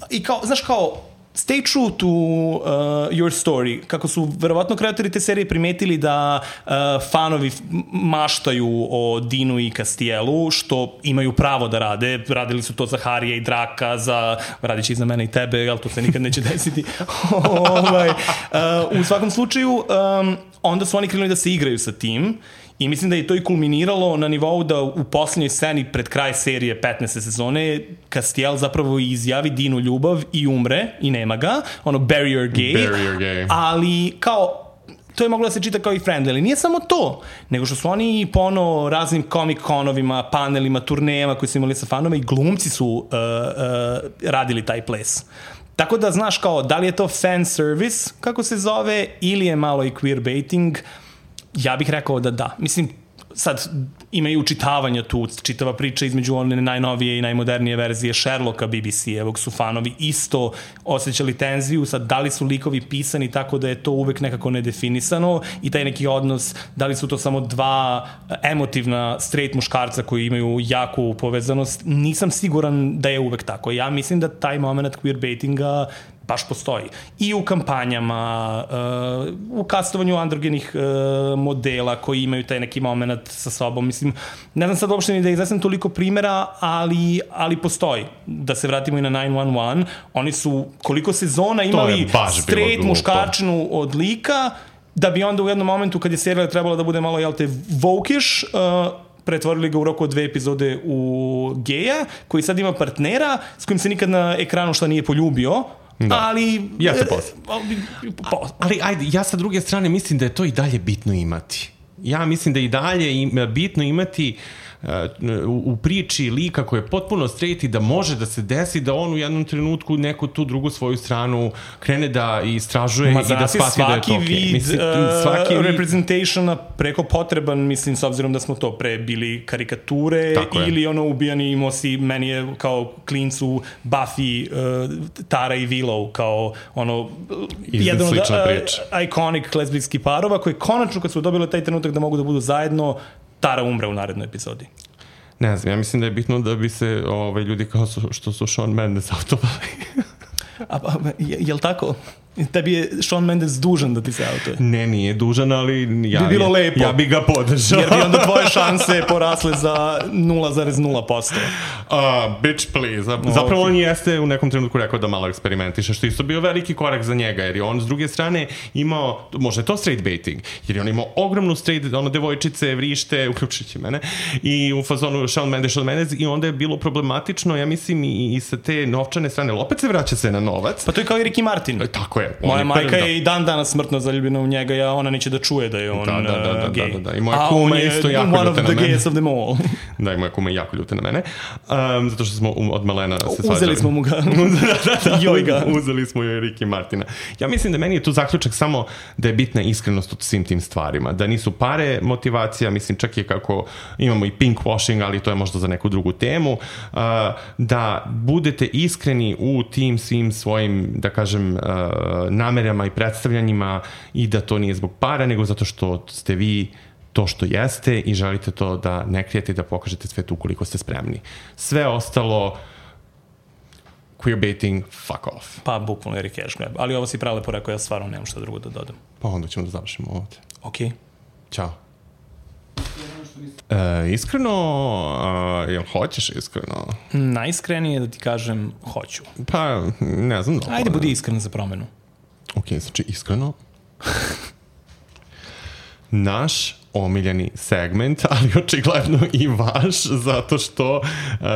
i kao, znaš kao, stay true to uh, your story. Kako su verovatno kreatori te serije primetili da uh, fanovi maštaju o Dinu i Castielu, što imaju pravo da rade. Radili su to za Harija i Draka, za, radit će i za mene i tebe, ali to se nikad neće desiti. ovaj, uh, u svakom slučaju, um, onda su oni krenuli da se igraju sa tim. I mislim da je to i kulminiralo na nivou da u posljednjoj sceni pred kraj serije petnaeste sezone Castiel zapravo izjavi Dinu ljubav i umre i nema ga, ono bury your gay, bury your gay. Ali kao to je moglo da se čita kao i friendly, ali nije samo to, nego što su oni po ono raznim comic-conovima, panelima, turnejama koji su imali sa fanoma i glumci su uh, uh, radili taj ples. Tako da znaš kao da li je to fan service, kako se zove, ili je malo i queerbaiting. Ja bih rekao da da. Mislim, sad ima i učitavanja tu, čitava priča između one najnovije i najmodernije verzije Sherlocka B B C-evog su fanovi isto osjećali tenziju, sad da li su likovi pisani tako da je to uvek nekako nedefinisano i taj neki odnos, da li su to samo dva emotivna straight muškarca koji imaju jaku povezanost, nisam siguran da je uvek tako. Ja mislim da taj moment queerbaitinga baš postoji. I u kampanjama, uh, u kastovanju androgenih uh, modela koji imaju taj neki moment sa sobom. Mislim, ne znam sad uopšte ni da iznesem toliko primjera, ali, ali postoji. Da se vratimo i na devet jedan jedan, oni su koliko sezona imali straight muškarčinu od lika, da bi onda u jednom momentu kad je serija trebala da bude malo, jel te, vokiš, uh, pretvorili ga u roku od dve epizode u geja, koji sad ima partnera s kojim se nikad na ekranu šta nije poljubio. Da. Ali ja se posle. Ali ajde, ja sa druge strane mislim da je to i dalje bitno imati. Ja mislim da i dalje im, bitno imati uh, u, u priči lika koji je potpuno straight i da može da se desi da on u jednom trenutku neku tu drugu svoju stranu krene da istražuje Ma, i da shvati da je to okay. Vid, mislim, svaki uh, vid representationa preko potreban, mislim, s obzirom da smo to pre bili karikature ili ono ubijani imao si, meni je kao klincu Buffy, uh, Tara i Willow kao ono jedan od uh, iconic lezbijskih parova koji konačno kad su dobili taj trenutak da mogu da budu zajedno, Tara umre u narednoj epizodi. Ne znam, ja mislim da je bitno da bi se ovaj, ljudi kao su, što su Shawn Mendes autovali. A, a, je, je li tako? Tebi je Shawn Mendes dužan da ti se autuje. Ne, nije dužan, ali ja, bi bilo lepo. Ja bi ga podržao. Jer bi onda tvoje šanse porasle za nula zarez nula posto. Uh, bitch, please. Zapravo okay. On jeste u nekom trenutku rekao da malo eksperimentiše, što isto bio veliki korak za njega, jer je on s druge strane imao, možda je to straight baiting, jer je on imao ogromnu straight, ono, devojčice, vrište, uključujući mene, i u fazonu Shawn Mendes, Shawn Mendes, i onda je bilo problematično, ja mislim, i, i sa te novčane strane, opet se vraća se na novac. Pa to je kao i Ricky Martin. Tako je. Moja majka je i dan danas smrtno zaljubljena u njega, ja, ona neće da čuje da je on da, da, da, da, gej. Da, da, da. I moja kuma je isto jako one ljuta of na the mene. gays of them all. Da, i moja kuma je jako ljuta na mene. Um, zato što smo od malena se svađali. Uzeli smo mu ga. da, da, da, Joj ga. Uzeli smo joj Ricky Martina. Ja mislim da meni je tu zaključak samo da je bitna iskrenost u svim tim stvarima. Da nisu pare motivacija, mislim čak je kako imamo i pink washing, ali to je možda za neku drugu temu. Uh, da budete iskreni u tim svim svojim, da kažem, uh, namerama i predstavljanjima i da to nije zbog para, nego zato što ste vi to što jeste i želite to da ne krijete i da pokažete svetu ukoliko ste spremni. Sve ostalo queerbaiting, fuck off. Pa, bukvalno je cash grab. Ali ovo si pralepo rekao, ja stvarno nemam šta drugo da dodam. Pa onda ćemo da završimo ovdje. Ok. Ćao. E, iskreno, a, jel hoćeš iskreno? Najiskrenije da ti kažem, hoću. Pa, ne znam. Dobro. Ajde, budi iskren za promenu. Ok, znači iskreno. Naš omiljeni segment, ali očigledno i vaš, zato što uh,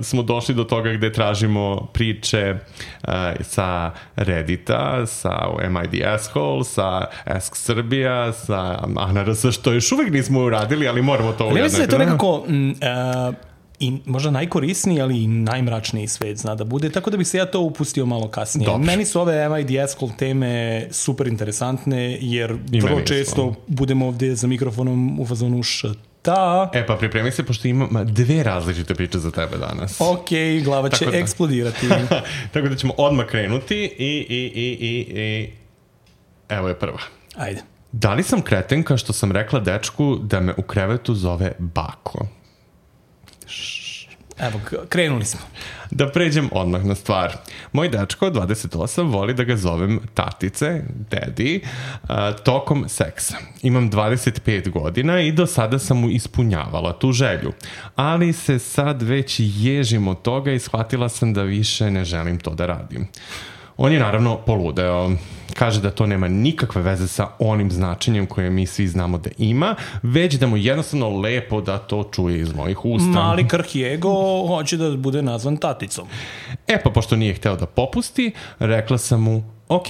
smo došli do toga gde tražimo priče uh, sa Reddita, sa M I D Asshole, sa Ask Srbija, sa A N R S, što još uvijek nismo uradili, ali moramo to uraditi. Ja mislim da je to nekako m, uh, i možda najkorisniji, ali i najmračniji svet zna da bude, tako da bih se ja to upustio malo kasnije. Dobre. Meni su ove M I D Asshole teme super interesantne, jer I vrlo često isto. budemo ovdje za mikrofonom u fazonu šta. E pa pripremi se, pošto imam dve različite priče za tebe danas. Ok, glava će da. eksplodirati. Tako da ćemo odmah krenuti i, i, i, i, i... evo je prva. Ajde. Da li sam kretenka što sam rekla dečku da me u krevetu zove bako? Evo, krenuli smo. Da pređem odmah na stvar. Moj dečko, dvadeset osam, voli da ga zovem tatice, daddy, uh, tokom seksa. Imam dvadeset pet godina i do sada sam mu ispunjavala tu želju. Ali se sad već ježim od toga i shvatila sam da više ne želim to da radim. On je naravno poludeo. Kaže da to nema nikakve veze sa onim značenjem koje mi svi znamo da ima, već da mu jednostavno lepo da to čuje iz mojih usta. Mali krhjego hoće da bude nazvan taticom. E pa, pošto nije hteo da popusti, rekla sam mu, ok,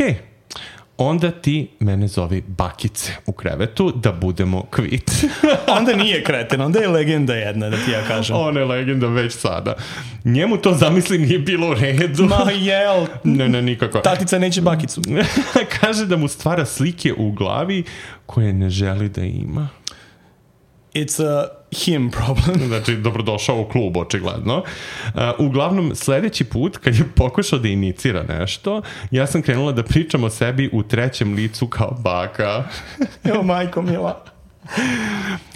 onda ti mene zovi bakice u krevetu da budemo kvit. Onda nije kreten, onda je legenda jedna, da ti ja kažem. Ona je legenda već sada. Njemu to, zamisli, nije bilo u redu. Ma jel? Ne, ne, nikako. Tatica neće bakicu. Kaže da mu stvara slike u glavi koje ne želi da ima. It's a him problem. Znači, dobrodošao u klub, očigledno. Uh, uglavnom, sljedeći put, kad je pokušao da inicira nešto, ja sam krenula da pričam o sebi u trećem licu kao baka. Evo, majko mila.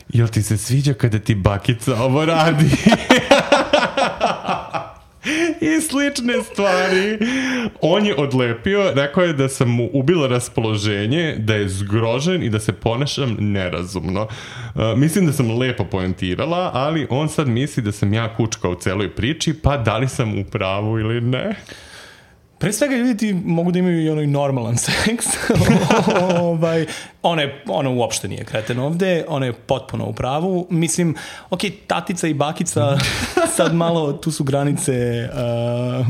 Jel ti se sviđa kada ti bakica ovo radi? I slične stvari. On je odlepio, rekao je da sam mu ubila raspoloženje, da je zgrožen i da se ponašam nerazumno. Uh, mislim da sam lepo poentirala, ali on sad misli da sam ja kučka u celoj priči, pa da li sam u pravu ili ne? Pre svega ljudi ti mogu da imaju i onaj normalan seks. ovaj, ona, je, ona uopšte nije kreten ovde, ona je potpuno u pravu. Mislim, ok, tatica i bakica, sad malo tu su granice uh,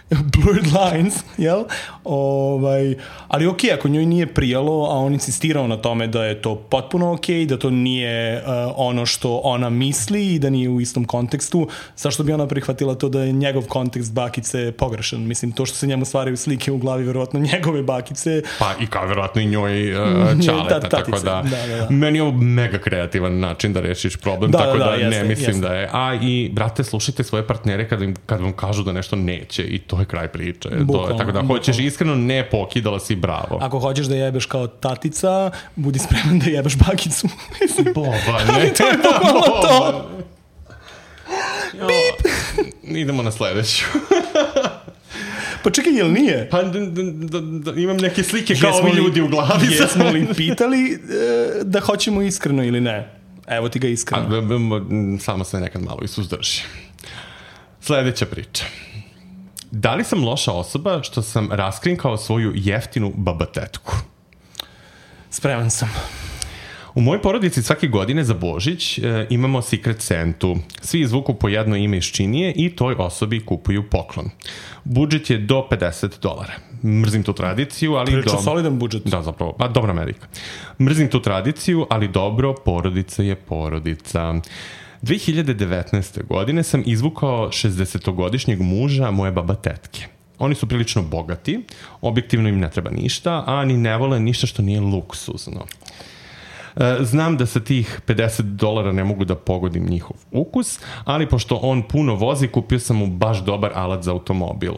blurred lines, jel? Ovaj, ali ok, ako njoj nije prijalo, a on insistirao na tome da je to potpuno ok, da to nije uh, ono što ona misli i da nije u istom kontekstu, zašto bi ona prihvatila to da je njegov kontekst bakice pogrešan? Mislim, to što se njemu stvaraju slike u glavi, verovatno njegove bakice. Pa i kao verovatno i njoj uh, čaleta, ta, tako da, da, da, da. Meni je ovo mega kreativan način da rešiš problem, da, tako da, da, da jeste, ne mislim jeste. da je. A i, brate, slušajte svoje partnere kad, im, kad vam kažu da nešto neće i to je kraj priče. Bukvalno, to je, tako da bukvalno. Hoćeš iskreno, ne pokidala si, bravo. Ako hoćeš da jebeš kao tatica, budi spreman da jebeš bakicu. Boba, ne. Ali to je bukvalno to. Bip. Idemo na sledeću. Pa čekaj, jel nije? Pa d, d, d, d, imam neke slike kao ovi ljudi u glavi. Jesmo li pitali e, da hoćemo iskreno ili ne? Evo ti ga iskreno. A, b, b, samo se nekad malo i suzdrži. Sledeća priča. Da li sam loša osoba što sam raskrinkao svoju jeftinu babatetku? Spreman sam. U mojoj porodici svake godine za Božić e, imamo Secret Santu. Svi izvuku po jedno ime iz činije i toj osobi kupuju poklon. Budžet je do pedeset dolara. Mrzim tu tradiciju, ali... Priča do... solidan budžet. Da, zapravo. Pa, dobra Amerika. Mrzim tu tradiciju, ali dobro, porodica je porodica. dve hiljade devetnaeste. godine sam izvukao šezdesetogodišnjeg muža moje babatetke. Oni su prilično bogati, objektivno im ne treba ništa, a ni ne vole ništa što nije luksuzno. Znam da sa tih pedeset dolara ne mogu da pogodim njihov ukus, ali pošto on puno vozi, kupio sam mu baš dobar alat za automobil.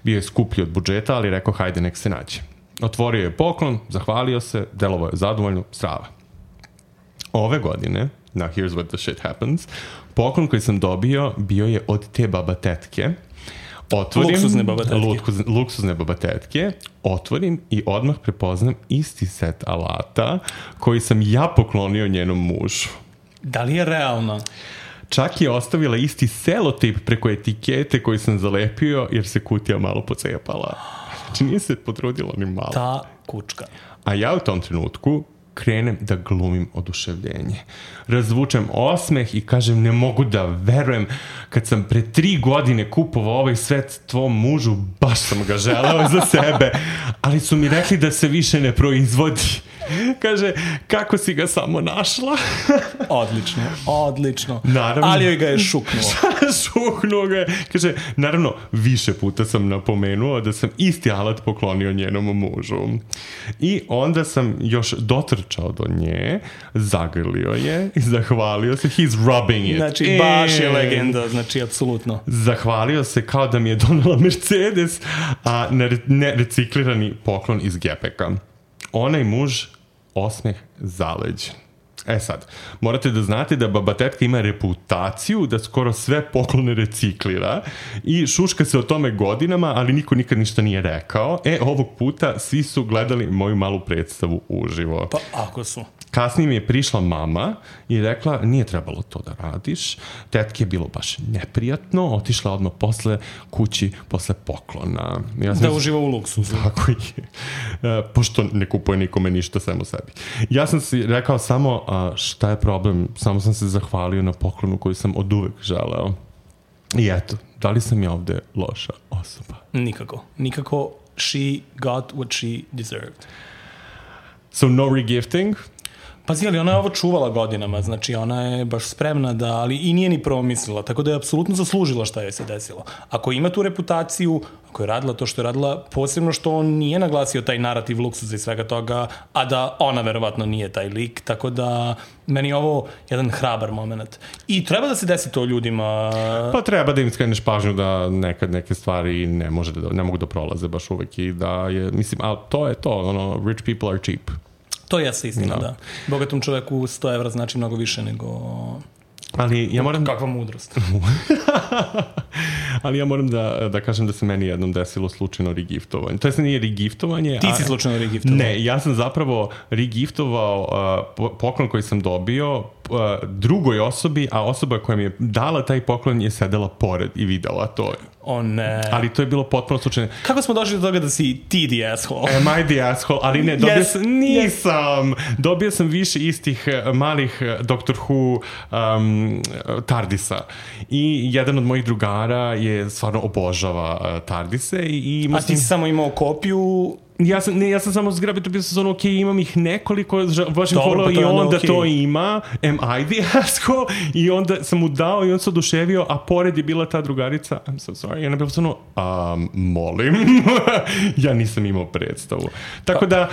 Bio je skuplji od budžeta, ali rekao hajde nek se nađe. Otvorio je poklon, zahvalio se, delovao je zadovoljno, strava. Ove godine, now here's what the shit happens, poklon koji sam dobio bio je od te babatetke. Otvorim, luksuzne babatetke. Luksuz, luksuzne babatetke, otvorim i odmah prepoznam isti set alata koji sam ja poklonio njenom mužu. Da li je realno? Čak je ostavila isti selotip preko etikete koji sam zalepio jer se kutija malo pocepala. Znači nije se potrudila ni malo. Ta kučka. A ja u tom trenutku krenem da glumim oduševljenje. Razvučem osmeh i kažem ne mogu da verujem kad sam pre tri godine kupovao ovaj svet tvom mužu, baš sam ga želeo za sebe, ali su mi rekli da se više ne proizvodi. Kaže, kako si ga samo našla? Odlično, odlično. Naravno. Ali joj ga je šuknuo. Šuknuo ga je. Kaže, naravno, više puta sam napomenuo da sam isti alat poklonio njenom mužu. I onda sam još dotrčao do nje, zagrlio je i zahvalio se. He's rubbing it. Znači, baš je legenda, znači, apsolutno. Zahvalio se kao da mi je donela Mercedes, a nereciklirani poklon iz gepeka. Onaj muž osmeh zaleđen. E sad, morate da znate da babatetka ima reputaciju da skoro sve poklone reciklira i šuška se o tome godinama, ali niko nikad ništa nije rekao. E, ovog puta svi su gledali moju malu predstavu uživo. Pa ako su. Kasnije mi je prišla mama i rekla, nije trebalo to da radiš. Tetke je bilo baš neprijatno, otišla odmah posle kući, posle poklona. Ja sam da uživa u luksuzu. Tako je. E, pošto ne kupuje nikome ništa samo sebi. Ja sam si rekao samo, a, šta je problem? Samo sam se zahvalio na poklonu koju sam od uvek želeo. I eto, da li sam ja ovde loša osoba? Nikako. Nikako. She got what she deserved. So no regifting? Pazi, ali ona je ovo čuvala godinama, znači ona je baš spremna da, ali i nije ni promislila, tako da je apsolutno zaslužila šta joj se desilo. Ako ima tu reputaciju, ako je radila to što je radila, posebno što on nije naglasio taj narativ luksuza i svega toga, a da ona verovatno nije taj lik, tako da meni je ovo jedan hrabar moment. I treba da se desi to ljudima. Pa treba da im skreneš pažnju da nekad neke stvari ne, može da, ne mogu da prolaze baš uvek i da je, mislim, ali to je to, ono, rich people are cheap. To jeste istina, no. Da. Bogatom čoveku sto evra znači mnogo više nego... Ali ja moram... Kakva mudrost. Ali ja moram da, da kažem da se meni jednom desilo slučajno regiftovanje. To je se nije regiftovanje. Ti si slučajno regiftovao? Ne, ja sam zapravo regiftovao uh, poklon koji sam dobio uh, drugoj osobi, a osoba koja mi je dala taj poklon je sedela pored i videla to. O ne. Ali to je bilo potpuno slučajno. Kako smo došli do toga da si ti the asshole? Am I the asshole? Ali ne, dobio yes, sam, nisam. Yes. Dobio sam više istih malih Doctor Who um, Tardisa. I jedan od mojih drugara je stvarno obožava uh, Tardise. I, i a ti si samo imao kopiju... Ja sam, ne, ja sam samo zgrabio, to bio sam ono, ok, imam ih nekoliko, vašim follow i onda okay. To ima, am I the asshole? I onda sam mu dao i on se oduševio, a pored je bila ta drugarica, I'm so sorry, i ona je bila ono, um, molim, ja nisam imao predstavu. Tako da,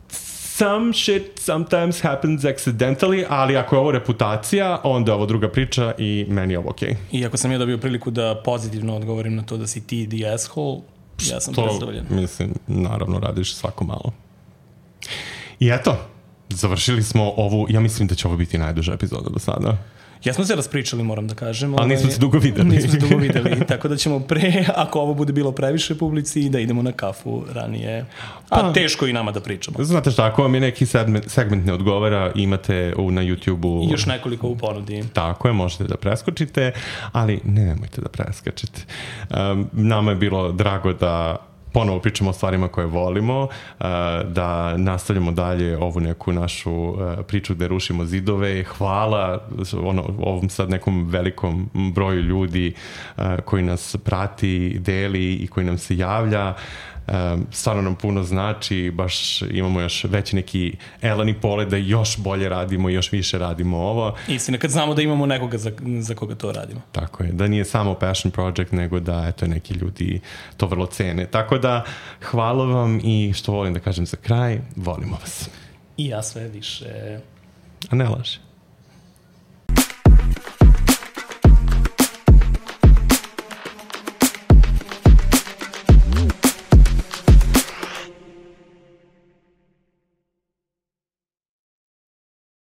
some shit sometimes happens accidentally, ali ako je ovo reputacija, onda je ovo druga priča i meni je ovo okej. Okay. I ako sam ja dobio priliku da pozitivno odgovorim na to da si ti the asshole, ja sam predstavljen. Mislim, naravno radiš svako malo. I eto, završili smo ovu, ja mislim da će ovo biti najduža epizoda do sada. Jesmo se raspričali, moram da kažem. Ali nismo se dugo videli. Nismo se dugo videli, tako da ćemo pre, ako ovo bude bilo previše publici, da idemo na kafu ranije. A pa, teško i nama da pričamo. Znate šta, ako vam je neki segment, segment ne odgovara, imate u, na YouTube-u... Još nekoliko u ponudi. Tako je, možete da preskočite, ali ne nemojte da preskačete. Um, nama je bilo drago da ponovo pričamo o stvarima koje volimo, da nastavljamo dalje ovu neku našu priču gde rušimo zidove. Hvala ono, ovom sad nekom velikom broju ljudi koji nas prati, deli i koji nam se javlja. Um, stvarno nam puno znači, baš imamo još veći neki elan i pole da još bolje radimo i još više radimo ovo. Istina, kad znamo da imamo nekoga za, za koga to radimo. Tako je, da nije samo passion project, nego da eto, neki ljudi to vrlo cene. Tako da, hvala vam i što volim da kažem za kraj, volimo vas. I ja sve više. A ne laže.